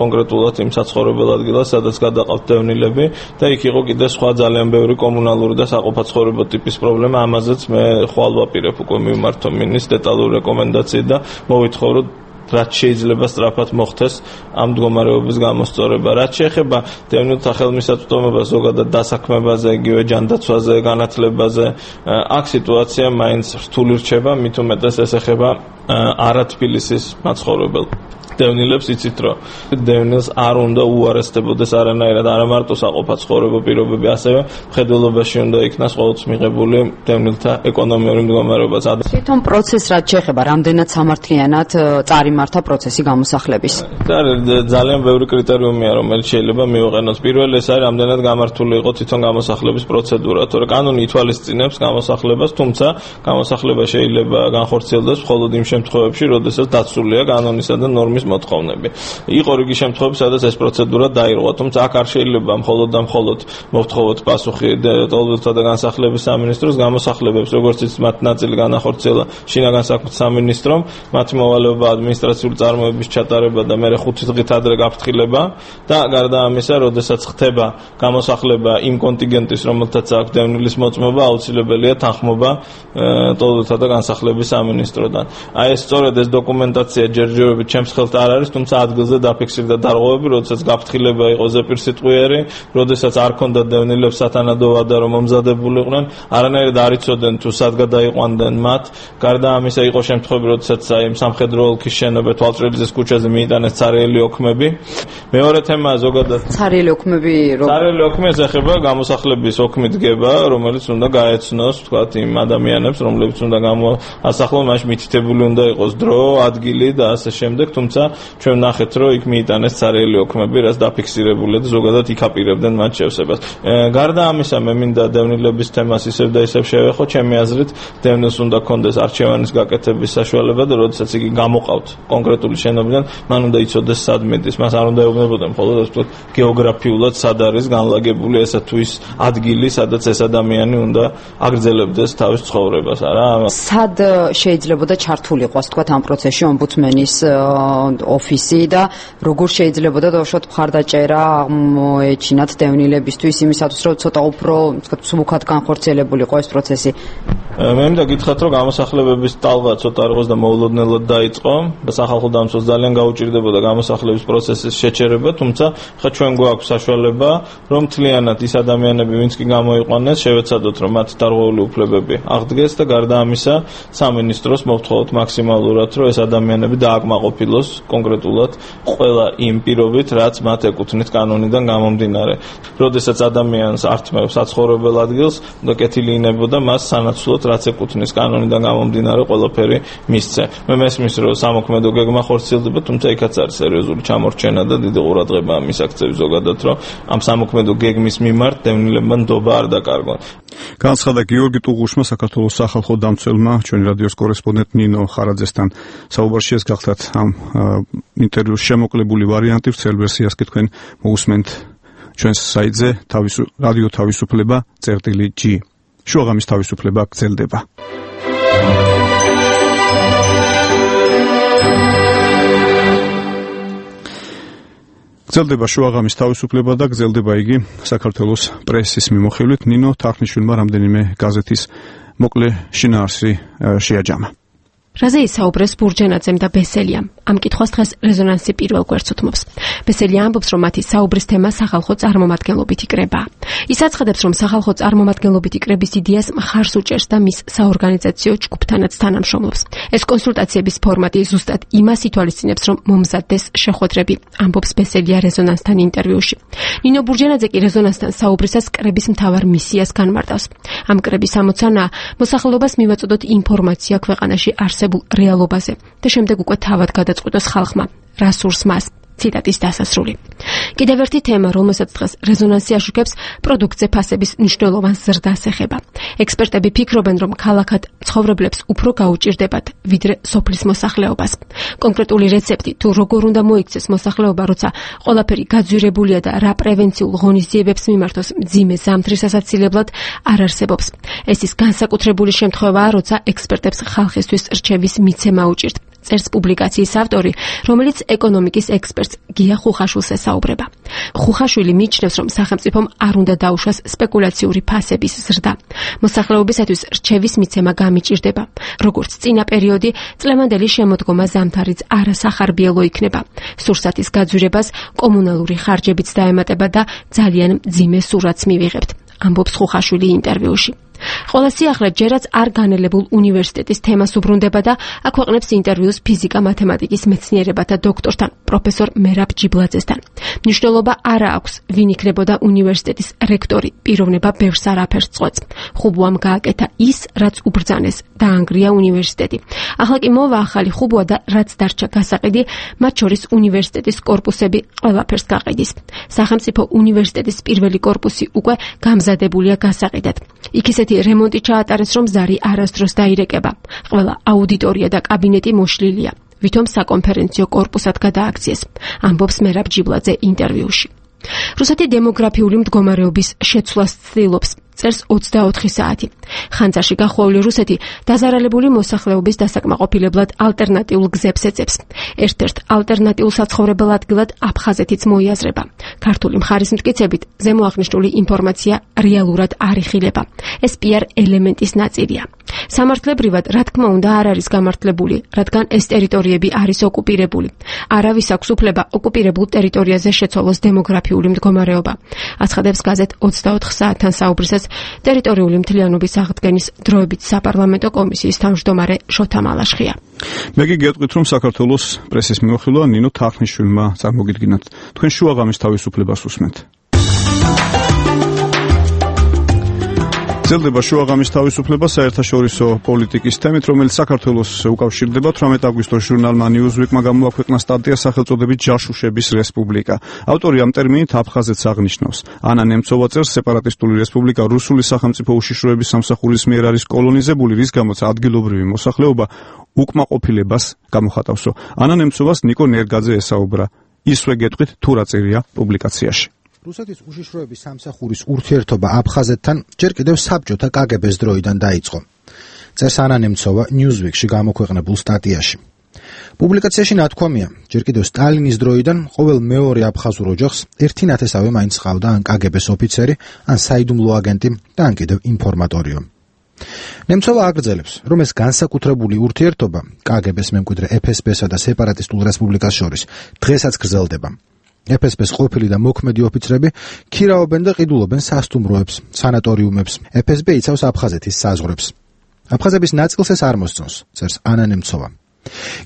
კონკრეტულად იმ საცხოვრებელ ადგილას, სადაც გადაყავთ დევნილები და იქ იყო კიდე სხვა ძალიან ბევრი კომუნალური და საყოფაცხოვრებო ტიპის პრობლემა. ამაზეც მე ხვალ ვაპირებ უკვე მიმართო მინის დეტალური რეკომენდაციით და მოვითხოვ, რომ რაც შეიძლება სწრაფად მოხდეს ამ მდგომარეობის გამოსწორება. რაც შეეხება დევნილთა ხელმისაწვდომობას, ზოგადად დასაქმებაზე, იგივე ჯანდაცვაზე, განათლებაზე, აქ სიტუაცია მაინც რთული რჩება, მით უმეტეს ეს ეხება არათბილისის მაცხოვრებელ დევნილებს. იცით, რომ დევნილს არ უნდა უარესდებოდეს არანაირად არა მარტო საყოფაცხოვრებო პირობები, ასევე მხედველობაში უნდა იქნას ყოველთვის მიღებული დევნილთა ეკონომიური მდგომარეობა. თვითონ პროცესს რაც შეეხება, რამდენად სამართლიანად წარიმართა პროცესი გამოსახლების? ძალიან ბევრი კრიტერიუმია, რომელიც შეიძლება მივაყენოს. პირველი ეს არის, რამდენად გამართული იყო თვითონ გამოსახლების პროცედურა, თორე კანონი ითვალისწინებს გამოსახლებას, თუმცა გამოსახლება შეიძლება განხორციელდეს მხოლოდ იმ შემთხვევებში, როდესაც დაცულია კანონისა და ნორმის მოთხოვნები. იყო რიგი შემთხვევები, სადაც ეს პროცედურა დაირღვა, თუმცა აქ არ შეიძლება მხოლოდ და მხოლოდ მოვთხოვოთ პასუხი ტოლვილთა და განსახლების სამინისტროს გამოსახლებებს, როგორც ის მათ ნაწილი განახორციელა შინაგან საქმეთა სამინისტრომ, მათი მოვალეობა ადმინისტრაციული წარმოების ჩატარება და მერე ხუთი დღით ადრე გაფრთხილება და გარდა ამისა, როდესაც ხდება გამოსახლება იმ კონტინგენტის, რომელთაც აქვს დევნილის მოწმობა, აუცილებელია თანხმობა ტოლვილთა და განსახლების სამინისტროდან. აი ეს სწორედ ეს დოკუმენტაცია ჯერჯერობით ჩემს ხელთ არ არის, თუმცა ადგილზე დაფიქსირდა დარღვევები, როდესაც გაფრთხილება იყო ზეპირსიტყვიერი, როდესაც არ ქონდა დევნილებს სათანადო ვადა, რომ მომზადებულიყვნენ, არანაირად არ იცოდნენ თუ სად გადაიყვანდნენ მათ. გარდა ამისა იყო შემთხვევები, როდესაც აი სამხედრო ოლქის შენობა თვალწრელიძის ქუჩაზე მიიტანეს ცარიელი ოქმები. მეორე თემა ზოგადად ცარიელი ოქმები რო ცარიელი ოქმები ეხება გამოსახლების ოქმი დგება, რომელიც უნდა გაეცნოს, თქვათ, იმ ადამიანებს, რომლებიც უნდა გამოასახლონ, მაშინ მითითებული უნდა იყოს დრო, ადგილი და ასე შემდეგ, თუმცა თუმცა ჩვენ ვნახეთ, რომ იქ მიიტანეს ცარიელი ოქმები, რაც დაფიქსირებულია და ზოგადად იქაპირებდნენ მათ შევსებას. გარდა ამისა, მე მინდა დევნილების თემას ისევ და ისევ შევეხო, ჩემი აზრით, დევნილს უნდა ქონდეს არჩევანის გაკეთების საშუალება და როდესაც იგი გამოყავთ კონკრეტული შენობიდან, მან უნდა იცოდეს სად მიდის, მას არ უნდა ეუბნებოდა მხოლოდ ასე ვთქვათ, გეოგრაფიულად სად არის განლაგებული ესა თუ ის ადგილი, სადაც ეს ადამიანი უნდა აგრძელებდეს თავის ცხოვრებას, არა? სად შეიძლებოდა ჩართული იყოს თქვათ ამ პროცესში ომბუდსმენის ოფისი და როგორ შეიძლებოდა დავუშვათ მხარდაჭერა მოეჩინათ დევნილებისთვის იმისათვის, რომ ცოტა უფრო თქვათ სმუქად განხორციელებული იყო ეს პროცესი? მე მინდა გითხრათ, რომ გამოსახლებების ტალღა ცოტა არ იყოს და მოულოდნელად დაიწყო და სახალხო დამცველს ძალიან გაუჭირდებოდა გამოსახლების პროცესის შეჩერება, თუმცა ხა ჩვენ გვაქვს საშუალება, რომ მთლიანად ის ადამიანები, ვინც კი გამოიყვანეს, შევეცადოთ, რომ მათ დარღვეული უფლებები აღდგეს და გარდა ამისა, სამინისტროს მოვთხოვოთ მაქსიმალურად, რომ ეს ადამიანები დააკმაყოფილოს კონკრეტულად ყველა იმ პირობით, რაც მათ ეკუთვნით კანონიდან გამომდინარე. როდესაც ადამიანს ართმევს საცხოვრებელ ადგილს, და კეთილი ინებოდა მას სანაცვლოდ, რაც ეკუთვნის კანონიდან გამომდინარე ყველაფერი მისცე. მე მესმის, რომ სამოქმედო გეგმა ხორციელდება, თუმცა იქაც არის სერიოზული ჩამორჩენა და დიდი ყურადღება ამის აქცევი ზოგადად, რომ ამ სამოქმედო გეგმის მიმართ დევნილებმა ნდობა არ დაკარგონ. განცხადა გიორგი ტუღუშმა, საქართველოს სახალხო დამცველმა, ჩვენი რადიოს კორესპონდენტ ნინო ხარაძესთან საუბარში. ეს გახლავთ ამ ინტერვიუს შემოკლებული ვარიანტი, ვრცელ ვერსიას კი თქვენ მოусმენთ ჩვენს საიტზე რადიო თავისუფლება წერტილი ჯი. შუაღამის თავისუფლება გრძელდება. გრძელდება შუაღამის თავისუფლება და გრძელდება იგი საქართველოს პრესის მიმოხილვით. ნინო თარხნიშვილმა რამდენიმე გაზეთის მოკლე შინაარსი შეაჯამა. რაზე ისაუბრეს ბურჯენაძემ და ბესელიამ? ამ კითხვას დღეს რეზონანსი პირველ გვერდს უთმობს. ბესელია ამბობს, რომ მათი საუბრის თემა სახალხო წარმომადგენლობითი კრებაა. ის აცხადებს, რომ სახალხო წარმომადგენლობითი კრების იდეას მხარს უჭერს და მის საორგანიზაციო ჯგუფთანაც თანამშრომლობს. ეს კონსულტაციების ფორმატი ზუსტად იმას ითვალისწინებს, რომ მომზადდეს შეხვედრები, ამბობს ბესელია რეზონანსთან ინტერვიუში. ნინო ბურჯენაძე კი რეზონანსთან საუბრისას კრების მთავარ მისიას განმარტავს. ამ კრების ამოცანაა მოსახლეობას მივაწოდოთ ინფორმაცია ქვეყანაში არსებულ რეალობაზე და შემდეგ უკვე თავად გადაწყვიტოს ხალხმა, რა სურს მას. ციტატის დასასრული. კიდევ ერთი თემა, რომელსაც დღეს რეზონანსი აშუქებს, პროდუქტზე ფასების მნიშვნელოვან ზრდას ეხება. ექსპერტები ფიქრობენ, რომ ქალაქად ცხოვრებლებს უფრო გაუჭირდებათ, ვიდრე სოფლის მოსახლეობას. კონკრეტული რეცეპტი თუ როგორ უნდა მოიქცეს მოსახლეობა, როცა ყველაფერი გაძვირებულია და რა პრევენციულ ღონისძიებებს მიმართოს მძიმე ზამთრის ასაცილებლად არ არსებობს. ეს ის განსაკუთრებული შემთხვევაა, როცა ექსპერტებს ხალხისთვის რჩევის მიცემა უჭირთ. წერს პუბლიკაციის ავტორი, რომელიც ეკონომიკის ექსპერტს გია ხუხაშვილს ესაუბრება. ხუხაშვილი მიიჩნევს, რომ სახელმწიფომ არ უნდა დაუშვას სპეკულაციური ფასების ზრდა. მოსახლეობისათვის რჩევის მიცემა გამიჭირდება. როგორც წინა პერიოდი, წლევანდელი შემოდგომა ზამთარიც არასახარბიელო იქნება. სურსათის გაძვირებას კომუნალური ხარჯებიც დაემატება და ძალიან მძიმე სურათს მივიღებთ, ამბობს ხუხაშვილი ინტერვიუში. ყველა სიახლე ჯერაც არ განელებულ უნივერსიტეტის თემას უბრუნდება და აქვეყნებს ინტერვიუს ფიზიკა-მათემატიკის მეცნიერებათა დოქტორთან, პროფესორ მერაბ ჯიბლაძესთან. მნიშვნელობა არა აქვს, ვინ იქნებოდა უნივერსიტეტის რექტორი, პიროვნება ბევრს არაფერს წყვეტს. ხუბუამ გააკეთა ის, რაც უბრძანეს, დაანგრია უნივერსიტეტი. ახლა კი მოვა ახალი ხუბუა და რაც დარჩა გასაყიდი, მათ შორის უნივერსიტეტის კორპუსები ყველაფერს გაყიდის. სახელმწიფო უნივერსიტეტის პირველი კორპუსი უკვე გამზადებულია გასაყიდად. იქ ისეთი რემონტი ჩაატარეს, რომ ზარი არასდროს დაირეკება. ყველა აუდიტორია და კაბინეტი მოშლილია. ვითომ საკონფერენციო კორპუსად გადააქციეს, ამბობს მერაბ ჯიბლაძე ინტერვიუში. რუსეთი დემოგრაფიული მდგომარეობის შეცვლას ცდილობს, წერს ოცდაოთხი საათი. ხანძარში გახვეული რუსეთი დაზარალებული მოსახლეობის დასაკმაყოფილებლად ალტერნატიულ გზებს ეძებს. ერთ-ერთ ალტერნატიულ საცხოვრებელ ადგილად აფხაზეთიც მოიაზრება. ქართული მხარის მტკიცებით, ზემოაღნიშნული ინფორმაცია რეალურად არ იხილება. ეს პიარ ელემენტის ნაწილია. სამართლებრივად, რა თქმა უნდა, არ არის გამართლებული, რადგან ეს ტერიტორიები არის ოკუპირებული. არავის აქვს უფლება ოკუპირებულ ტერიტორიაზე შეცვალოს დემოგრაფიული მდგომარეობა. აცხადებს გაზეთ ოცდაოთხ საათთან საუბრისას ტერიტორიული მთლიანობის აღდგენის დროებით საპარლამენტო კომისიის თავმჯდომარე შოთა მალაშხია. მე კი გეტყვით, რომ საქართველოს პრესის მიმოხილვა ნინო თარხნიშვილმა წარმოგიდგინათ. თქვენ შუაღამის თავისუფლებას უსმენთ. გრძელდება შუაღამის თავისუფლება საერთაშორისო პოლიტიკის თემით, რომელიც საქართველოს უკავშირდება. თვრამეტ აგვისტოს ჟურნალმა Newsweek-მა გამოაქვეყნა სტატია სახელწოდებით ჯაშუშების რესპუბლიკა. ავტორი ამ ტერმინით აფხაზეთს აღნიშნავს. ანა ნემცოვა წერს, სეპარატისტული რესპუბლიკა რუსული სახელმწიფო უშიშროების სამსახურის მიერ არის კოლონიზებული, რის გამოც ადგილობრივი მოსახლეობა უკმაყოფილებას გამოხატავსო. ანა ნემცოვას ნიკო ნერგაძე ესაუბრა. ისვე გეტყვით თუ რა წერია პუბლიკაციაში. რუსეთის უშიშროების სამსახურის ურთიერთობა აფხაზეთთან ჯერ კიდევ საბჭოთა კაგებეს დროიდან დაიწყო. წერს ანა ნემცოვა Newsweek-ში გამოქვეყნებულ სტატიაში. პუბლიკაციაში ნათქვამია, ჯერ კიდევ სტალინის დროიდან ყოველ მეორე აფხაზურ ოჯახს ერთი ნათესავი მაინც ჰყავდა ან კაგებეს ოფიცერი, ან საიდუმლო აგენტი და ან კიდევ ინფორმატორიო. ნემცოვა აგრძელებს, რომ ეს განსაკუთრებული ურთიერთობა კაგებეს მემკვიდრე ეფ ეს ბე-სა და სეპარატისტულ რესპუბლიკას შორის დღესაც გრძელდება. ეფ ეს ბე-ის ყოფილი და მოქმედი ოფიცრები ქირაობენ და ყიდულობენ სასტუმროებს, სანატორიუმებს. ეფ ეს ბე იცავს აფხაზეთის საზღვრებს. აფხაზების ნაწილს ეს არ მოსწონს, წერს ანა ნემცოვა.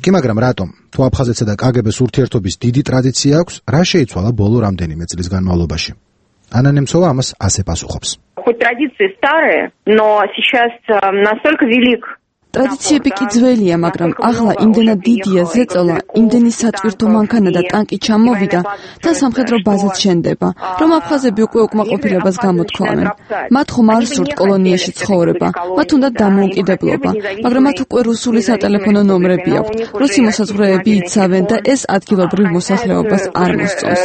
კი მაგრამ რატომ? თუ აფხაზეთსა და კაგებეს ურთიერთობის დიდი ტრადიცია აქვს, რა შეიცვალა ბოლო რამდენიმე წლის განმავლობაში? ანა ნემცოვა ამას ასე პასუხობს. Хоть традиции старые, но сейчас настолько велик. ტრადიციები კი ძველია, მაგრამ ახლა იმდენად დიდია ზეწოლა, იმდენი სატვირთო მანქანა და ტანკი ჩამოვიდა და სამხედრო ბაზაც შენდება, რომ აფხაზები უკვე უკმაყოფილებას გამოთქვამენ. მათ ხომ არ სურთ კოლონიაში ცხოვრება, მათ უნდა დამოუკიდებლობა, მაგრამ მათ უკვე რუსული სატელეფონო ნომრები აქვთ, რუსი მოსაზღვრეები იცავენ და ეს ადგილობრივ მოსახლეობას არ მოსწონს.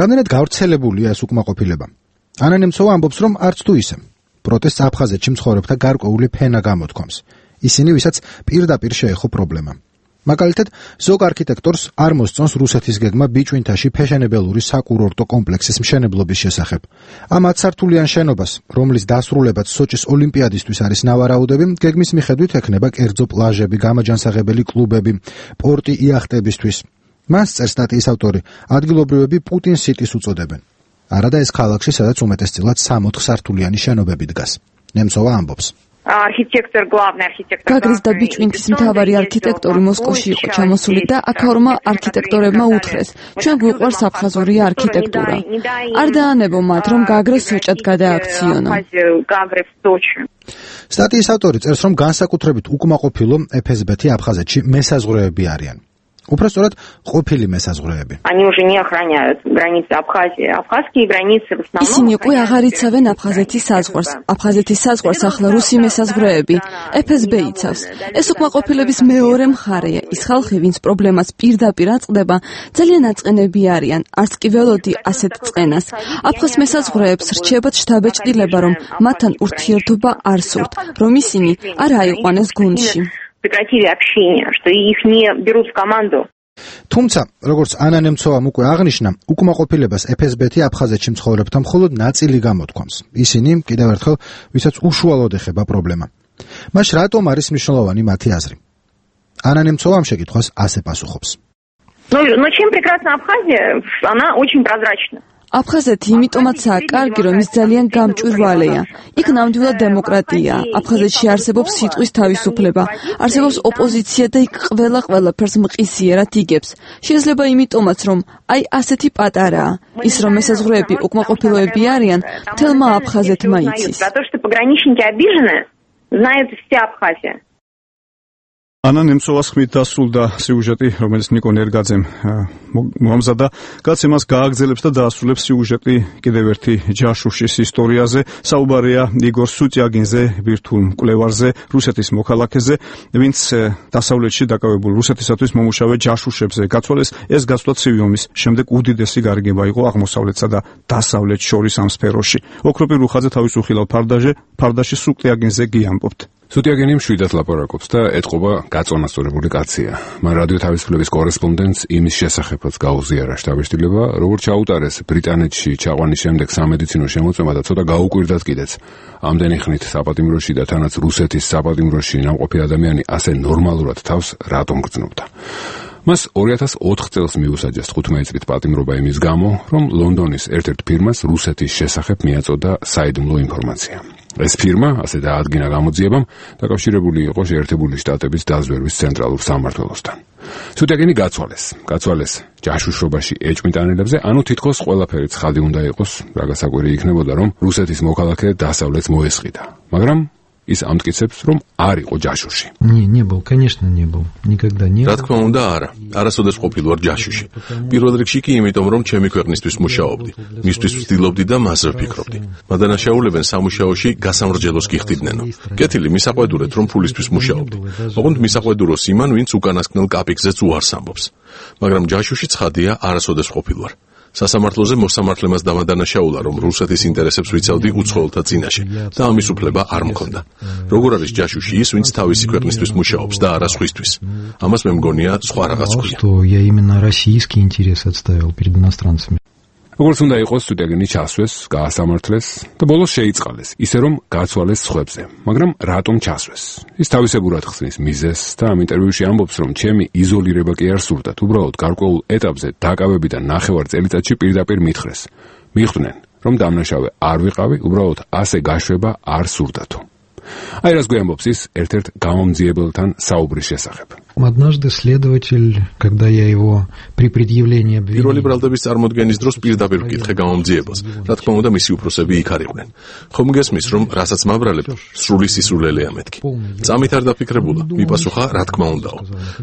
რამდენად გავრცელებულია ეს უკმაყოფილება? ანა ნემცოვა ამბობს, რომ არც თუ ისე. პროტესტს აფხაზეთში მცხოვრებთა გარკვეული ფენა გამოთქვამს. ისინი, ვისაც პირდაპირ შეეხო პრობლემა. მაგალითად, ზოგ არქიტექტორს არ მოსწონს რუსეთის გეგმა ბიჭვინთაში ფეშენებელური საკურორტო კომპლექსის მშენებლობის შესახებ. ამ ათსართულიან შენობას, რომლის დასრულებაც სოჭის ოლიმპიადისთვის არის ნავარაუდები, გეგმის მიხედვით ექნება კერძო პლაჟები, გამაჯანსაღებელი კლუბები, პორტი იახტებისთვის. მას წერს სტატიის ავტორი, ადგილობრივები პუტინ სიტის უწოდებენ. არადა ეს ქალაქში, სადაც უმეტესწილად სამოთხ სართულიანი შენობები დგას. ნემცოვა ამბობს. Архитектор, главный архитектор. გაგრის და ბიჭვინთის მთავარი არქიტექტორი მოსკოვში იყო ჩამოსული და აქაურმა არქიტექტორებმა უთხრეს, ჩვენ გვიყვარს აფხაზური არქიტექტურა. არ დაანებო მათ, რომ გაგრე სოჭად გადააქციონო. სტატიის ავტორი წერს, რომ განსაკუთრებით უკმაყოფილო ეფ ეს ბე-ი აფხაზეთში მესაზღვრეები არიან. Упросторат ყოფილი მესაზღვრეები. Они уже не охраняют границы Абхазии. Абхазские границы в основном. ისინი უკვე აღარ იცავენ აფხაზეთის საზღვარს. აფხაზეთის საზღვარს ახლა რუსი მესაზღვრეები ეფ ეს ბე იცავს. ეს უკმაყოფილების მეორე მხარეა. ის ხალხი, ვინც პრობლემას პირდაპირ აწყდება, ძალიან აწყენები არიან. არც კი ველოდი ასეთ წყენას. აფხაზ მესაზღვრეებს რჩებათ შთაბეჭდილება, რომ მათთან ურთიერთობა არ სურთ, რომ ისინი არ აიყვანეს გუნდში. Прекратили общение, что их не берут в команду. თუმცა, როგორც ანა ნემცოვამ უკვე აღნიშნა, უკმაყოფილებას ეფ ეს ბე-ი აფხაზეთში მცხოვრებთა მხოლოდ ნაწილი გამოთქვამს. ისინი, კიდევ ერთხელ, ვისაც უშუალოდ ეხება პრობლემა. მას რატომ არის მნიშვნელოვანი მათი აზრი? ანა ნემცოვა ამ შეკითხვას ასე პასუხობს. Ну, но чем прекрасна Абхазия? Она очень прозрачна. აფხაზეთი იმიტომაცაა კარგი, რომ ის ძალიან გამჭვირვალეა. იქ ნამდვილად დემოკრატია. აფხაზეთში არსებობს სიტყვის თავისუფლება, არსებობს ოპოზიცია და იქ ყველა ყველაფერს მყისიერად იგებს. შეიძლება იმიტომაც, რომ აი ასეთი პატარაა. ის რომ მესაზღვრეები უკმაყოფილოები არიან, თელმა აფხაზეთმა იცის. За то, что пограничники обижены, знает вся Абхазия. ანა ნემცოვას ხმით დასრულდა სიუჟეტი, რომელიც ნიკო ნერგაძემ მომზადა. კაცი მას გააგრძელებს და დაასრულებს სიუჟეტი კიდევ ერთი ჯაშუშის ისტორიაზე. საუბარია იგორ სუტიაგინზე, ბირთვულ მკვლევარზე, რუსეთის მოქალაქეზე, ვინც დასავლეთში დაკავებულ რუსეთისათვის მომუშავე ჯაშუშებზე გაცვალეს. ეს გაცვლა ცივი ომის შემდეგ უდიდესი გარიგება იყო აღმოსავლეთსა და დასავლეთს შორის ამ სფეროში. ოქროპირ რუხაძე თავის უხილავ ფარდაჟე, ფარდაში სუტიაგინზე გიამბობთ. სუტიაგინი მშვიდად ლაპარაკობს და ეთყობა გაწონასწორებული კაცია. მან რადიო თავისუფლების კორესპონდენტს იმის შესახებაც გაუზიარა შთაბეჭდილება, როგორც ჩაუტარეს ბრიტანეთში ჩაყვანის შემდეგ სამედიცინო შემოწმება და ცოტა გაუკვირდათ კიდეც. ამდენი ხნით საპატიმროში და თანაც რუსეთის საპატიმროში ნამყოფი ადამიანი ასე ნორმალურად თავს რატომ გრძნობდა? მას ორი ათას ოთხ წელს მიუსაჯეს თხუთმეტი წლით პატიმრობა იმის გამო, რომ ლონდონის ერთ-ერთ ფირმას რუსეთის შესახებ მიაწოდა საიდუმლო ინფორმაცია. ეს ფირმა, ასე დაადგინა გამოძიებამ, დაკავშირებული იყო შეერთებული შტატების დაზვერვის ცენტრალურ სამმართველოსთან. სუტიაგენი გაცვალეს. გაცვალეს ჯაშუშობაში ეჭვმიტანილებზე, ანუ თითქოს ყველაფერი ცხადი უნდა იყოს, რა გასაკვირი იქნებოდა, რომ რუსეთის მოქალაქე დასავლეთს მოესყიდა. მაგრამ ის ამტკიცებს, რომ არ იყო ჯაშუში. Не, не был, конечно, не был. Никогда не был. რა თქმა უნდა, არა. არასოდეს ყოფილი ვარ ჯაშუში. პირველ რიგში კი იმიტომ, რომ ჩემი ქვეყნისთვის მუშაობდი. მისთვის ვცდილობდი და მასზე ვფიქრობდი. მადანაშაულებენ სამუშაოში გასამრჯელოს გიხდიდნენ. კეთილი მისაყვედურეთ, რომ ფულისთვის მუშაობდი. ოღონდ მისაყვედუროს იმან, ვინც უკანასკნელ კაპიკზეც უარს ამბობს. მაგრამ ჯაშუში ცხადია, არასოდეს ყოფილი ვარ. სასამართლოზე მოსამართლემას დამადანაშაულა, რომ რუსეთის ინტერესებს ვიცავდი უცხოელთა წინაშე და ამის უფლება არ მქონდა. როგორ არის ჯაშუში ის, ვინც თავისი ქვეყნისთვის მუშაობს და არა სხვისთვის? ამას მე მგონია სხვა რაღაც ქვია. Что я именно российский интерес отставил перед иностранцами. როგორც უნდა იყოს, სუტიაგენი ჩასვეს, გაასამართლეს და ბოლოს შეიწყალეს, ისე რომ გაცვალეს სხვებზე. მაგრამ რატომ ჩასვეს? ის თავისებურად ხსნის მიზეზს და ამ ინტერვიუში ამბობს, რომ ჩემი იზოლირება კი არ სურდათ, უბრალოდ გარკვეულ ეტაპზე დაკავებიდან ნახევარ წელიწადში პირდაპირ მითხრეს. მიხვდნენ, რომ დამნაშავე არ ვიყავი, უბრალოდ ასე გაშვება არ სურდათო. აი რას გვიამბობს ის ერთ-ერთ გამომძიებელთან საუბრის შესახებ. Однажды следователь, когда я его при предъявлении обвинения პირველი ბრალდების წარმოდგენის დროს პირდაპირ ვკითხე გამომძიებელს. რა თქმა უნდა, მისი უფროსები იქ არ იყვნენ. ხომ გესმის, რომ რასაც მაბრალებ, სრული სისულელეა მეთქი. წამით არ დაფიქრებულა, მიპასუხა, რა თქმა უნდაო.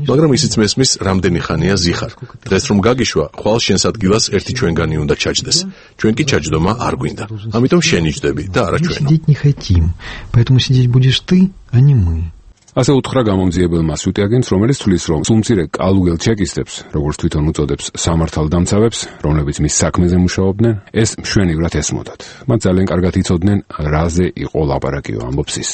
მაგრამ ისიც მესმის, რამდენი ხანია ზიხარ. დღეს რომ გაგიშვა, ხვალ შენს ადგილას ერთი ჩვენგანი უნდა ჩაჯდეს. ჩვენ კი ჩაჯდომა არ გვინდა. ამიტომ შენი ჯდები და არა ჩვენო. Сидеть не хотим. Поэтому сидеть будешь ты, а не мы. ასე უთხრა გამომძიებელმა სუტიაგენს, რომელიც თვლის, რომ სულმცირე კალუგელ ჩეკისტებს, როგორც თვითონ უწოდებს, სამართალდამცავებს, რომლებიც მის საქმეზე მუშაობდნენ, ეს მშვენივრად ესმოდათ. მათ ძალიან კარგად იცოდნენ, რაზე იყო ლაპარაკიო, ამბობს ის.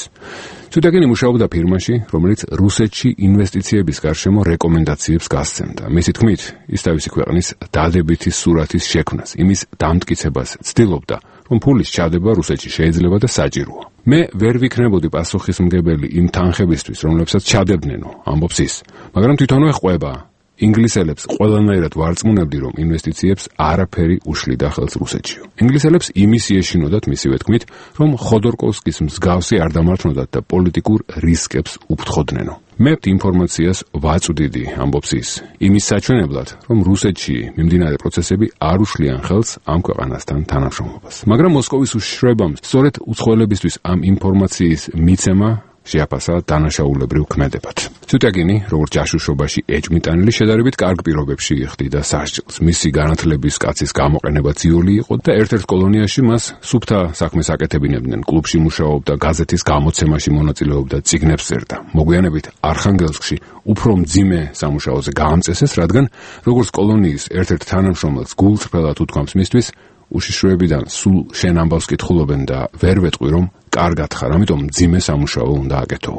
სუტიაგენი მუშაობდა ფირმაში, რომელიც რუსეთში ინვესტიციების გარშემო რეკომენდაციებს გასცემდა. მისი თქმით, ის თავისი ქვეყნის დადებითი სურათის შექმნას, იმის დამტკიცებას ცდილობდა, რომ ფულის ჩადება რუსეთში შეიძლება და საჭიროა. მე ვერ ვიქნებოდი პასუხისმგებელი იმ თანხებისთვის, რომლებსაც ჩადებდნენო, ამბობს ის. მაგრამ თვითონვე ყვება. ინგლისელებს ყველანაირად ვარწმუნებდი, რომ ინვესტიციებს არაფერი უშლიდა ხელს რუსეთში. ინგლისელებს იმის ეშინოდათ მისივე თქმით, რომ ხოდორკოვსკის მსგავსი არ დამართნოდათ და პოლიტიკურ რისკებს უფრთხოდნენო. მე ინფორმაციას ვაწვდიდი, ამბობს ის, იმის საჩვენებლად, რომ რუსეთში მიმდინარე პროცესები არ უშლიან ხელს ამ ქვეყანასთან თანამშრომლობას. მაგრამ მოსკოვის უშიშროებამ სწორედ უცხოელებისთვის ამ ინფორმაციის მიცემა შეაფასა დანაშაულებრივ ქმედებად. სუტიაგენი, როგორც ჯაშუშობაში ეჭვმიტანილი, შედარებით კარგ პირობებში იხდიდა სასჯელს. მისი განათლების კაცის გამოყენება ძიოლი იყო და ერთ-ერთ კოლონიაში მას სუფთა საქმეს აკეთებინებდნენ. კლუბში მუშაობდა, გაზეთის გამოცემაში მონაწილეობდა, წიგნებს წერდა. მოგვიანებით არხანგელსკში უფრო მძიმე სამუშაოზე გაამწესეს, რადგან როგორც კოლონიის ერთ-ერთ თანამშრომელს გულწრფელად უთქვამს მისთვის, უშიშროებიდან სულ შენ ამბავს კითხულობენ და ვერ ვეტყვი, რომ კარგად ხარ, ამიტომ მძიმე სამუშაო უნდა აკეთო.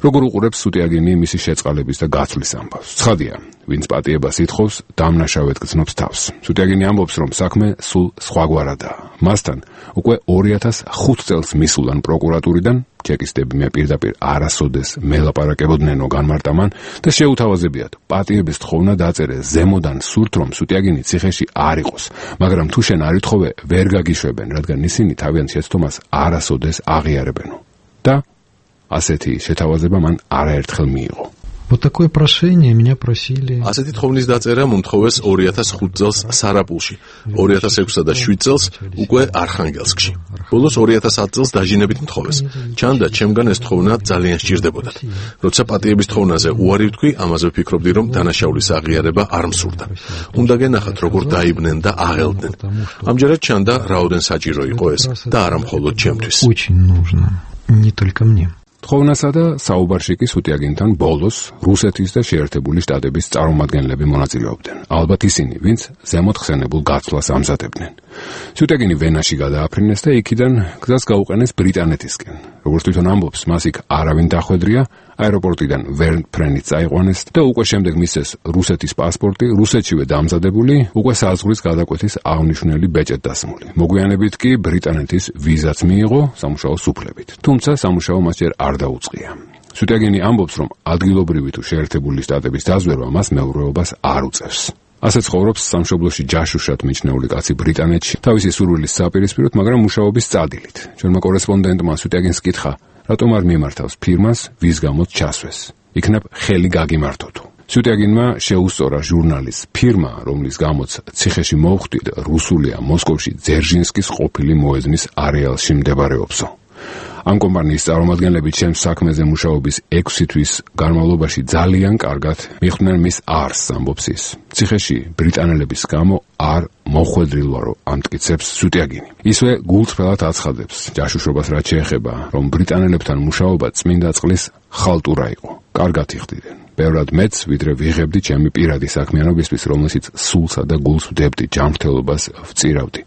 როგორ უყურებს სუტიაგენი მისი შეწყალების და გაცვლის ამბავს? ცხადია, ვინც პატიებას ითხოვს, დამნაშავედ გრძნობს თავს. სუტიაგენი ამბობს, რომ საქმე სულ სხვაგვარადაა. მასთან უკვე ორი ათას ხუთ წელს მისულან პროკურატურიდან, ჩეკისტები მე პირდაპირ არასოდეს მელაპარაკებოდნენო განმარტამან და შეუთავაზებიათ. პატიების თხოვნა დაწერეს ზემოდან სურთ, რომ სუტიაგენი ციხეში არ იყოს, მაგრამ თუ შენ არ ითხოვე, ვერ გაგიშვებენ, რადგან ისინი თავიანთ შეცდომას არასოდეს აღიარებენო. და ასეთი შეთავაზება მან არაერთხელ მიიღო. Вот такое прошение меня просили. ასეთი თხოვნის დაწერა მომთხოვეს ორი ათას ხუთ წელს სარაპულში, ორი ათას ექვსსა და შვიდ წელს უკვე არხანგელსკში. ბოლოს ორი ათას ათ წელს დაჟინებით მთხოვეს. ჩანდა, ჩემგან ეს თხოვნა ძალიან სჭირდებოდათ. როცა პატიების თოვნაზე უარი ვთქვი, ამაზე ვფიქრობდი, რომ დანაშაულის აღიარება არ მსურდა. უნდა გენახათ, როგორ დაიბნენ და აღელდნენ. ამჯერად ჩანდა, რაოდენ საჭირო იყო ეს და არა მხოლოდ ჩემთვის. Очень нужно, не только мне. თოვნასა და საუბარში კი სუტიაგენთან ბოლოს რუსეთის და შეერთებული შტატების წარმომადგენლები მონაწილეობდნენ. ალბათ ისინი, ვინც ზემოთ ხსენებულ გაცვლას ამზადებდნენ. სუტიაგენი ვენაში გადააფრინეს და იქიდან გზას გაუყენეს ბრიტანეთისკენ. როგორც თვითონ ამბობს, მას იქ არავინ დახვედრია, აეროპორტიდან ვერ ფრენით წაიყვანეს და უკვე შემდეგ მისცეს რუსეთის პასპორტი, რუსეთშივე დამზადებული, უკვე საზღვრის გადაკვეთის აღნიშნული ბეჭედ დასმული. მოგვიანებით კი ბრიტანეთის ვიზაც მიიღო სამუშაო სუფლებით. თუმცა სამუშაო მას ჯერ არ დაუწყია. სუტიაგენი ამბობს, რომ ადგილობრივი თუ შეერთებული შტატების დაზვერვა მას მეურვეობას არ უწევს. ასე ცხოვრობს სამშობლოში ჯაშუშად მიჩნეული კაცი ბრიტანეთში, თავისი სურვილის საპირისპიროდ, მაგრამ მუშაობის წადილით. ჩვენმა კორესპონდენტმა სუტიაგენს კითხა, რატომ არ მიმართავს ფირმას, ვის გამოც ჩასვეს. იქნებ ხელი გაგიმართოთო. სუტიაგინმა შეუსწორა ჟურნალის ფირმა, რომლის გამოც ციხეში მოხვდით, რუსულია მოსკოვში ძერჟინსკის ყოფილი მოედნის არეალში მდებარეობსო. ამ კომპანიის წარმომადგენლები ჩემს საქმეზე მუშაობის ექვსი თვის განმავლობაში ძალიან კარგად მიხვდნენ მის არსს, ამბობს ის. ციხეში ბრიტანელების გამო არ მოხვედრილვა, რომ ამტკიცებს სუტიაგინი. ისვე გულწრფელად აცხადებს ჯაშუშობას რაც შეეხება, რომ ბრიტანელებთან მუშაობა წმინდა წყლის ხალტურა იყო. კარგად იხდიდნენ. ბევრად მეც, ვიდრე ვიღებდი ჩემი პირადი საქმიანობისთვის, რომელშიც სულსა და გულს ვდებდი, ჯანმრთელობას ვწირავდი.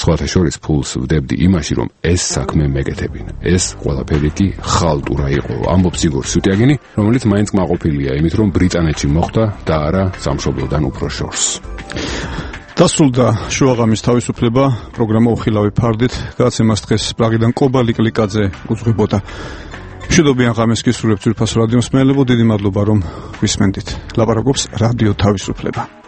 სხვათა შორის ფულს ვდებდი იმაში, რომ ეს საქმე მეკეთებინა. ეს ყველაფერი კი ხალტურა იყო, ამბობს იგორ სუტიაგინი, რომელიც მაინც კმაყოფილია იმით, რომ ბრიტანეთში მოხვდა და არა სამშობლოდან უფრო შორს. დასრულდა შუაღამის თავისუფლება, პროგრამა უხილავი ფარდით, გადაცემას დღეს პრაღიდან კობა ლიკლიკაძე უძღვებოდა. მშვიდობიან ღამეს გისურვებთ ძვირფას რადიოს მსმენელებო, დიდი მადლობა რომ გვისმენდით. ლაპარაკობს რადიო თავისუფლება.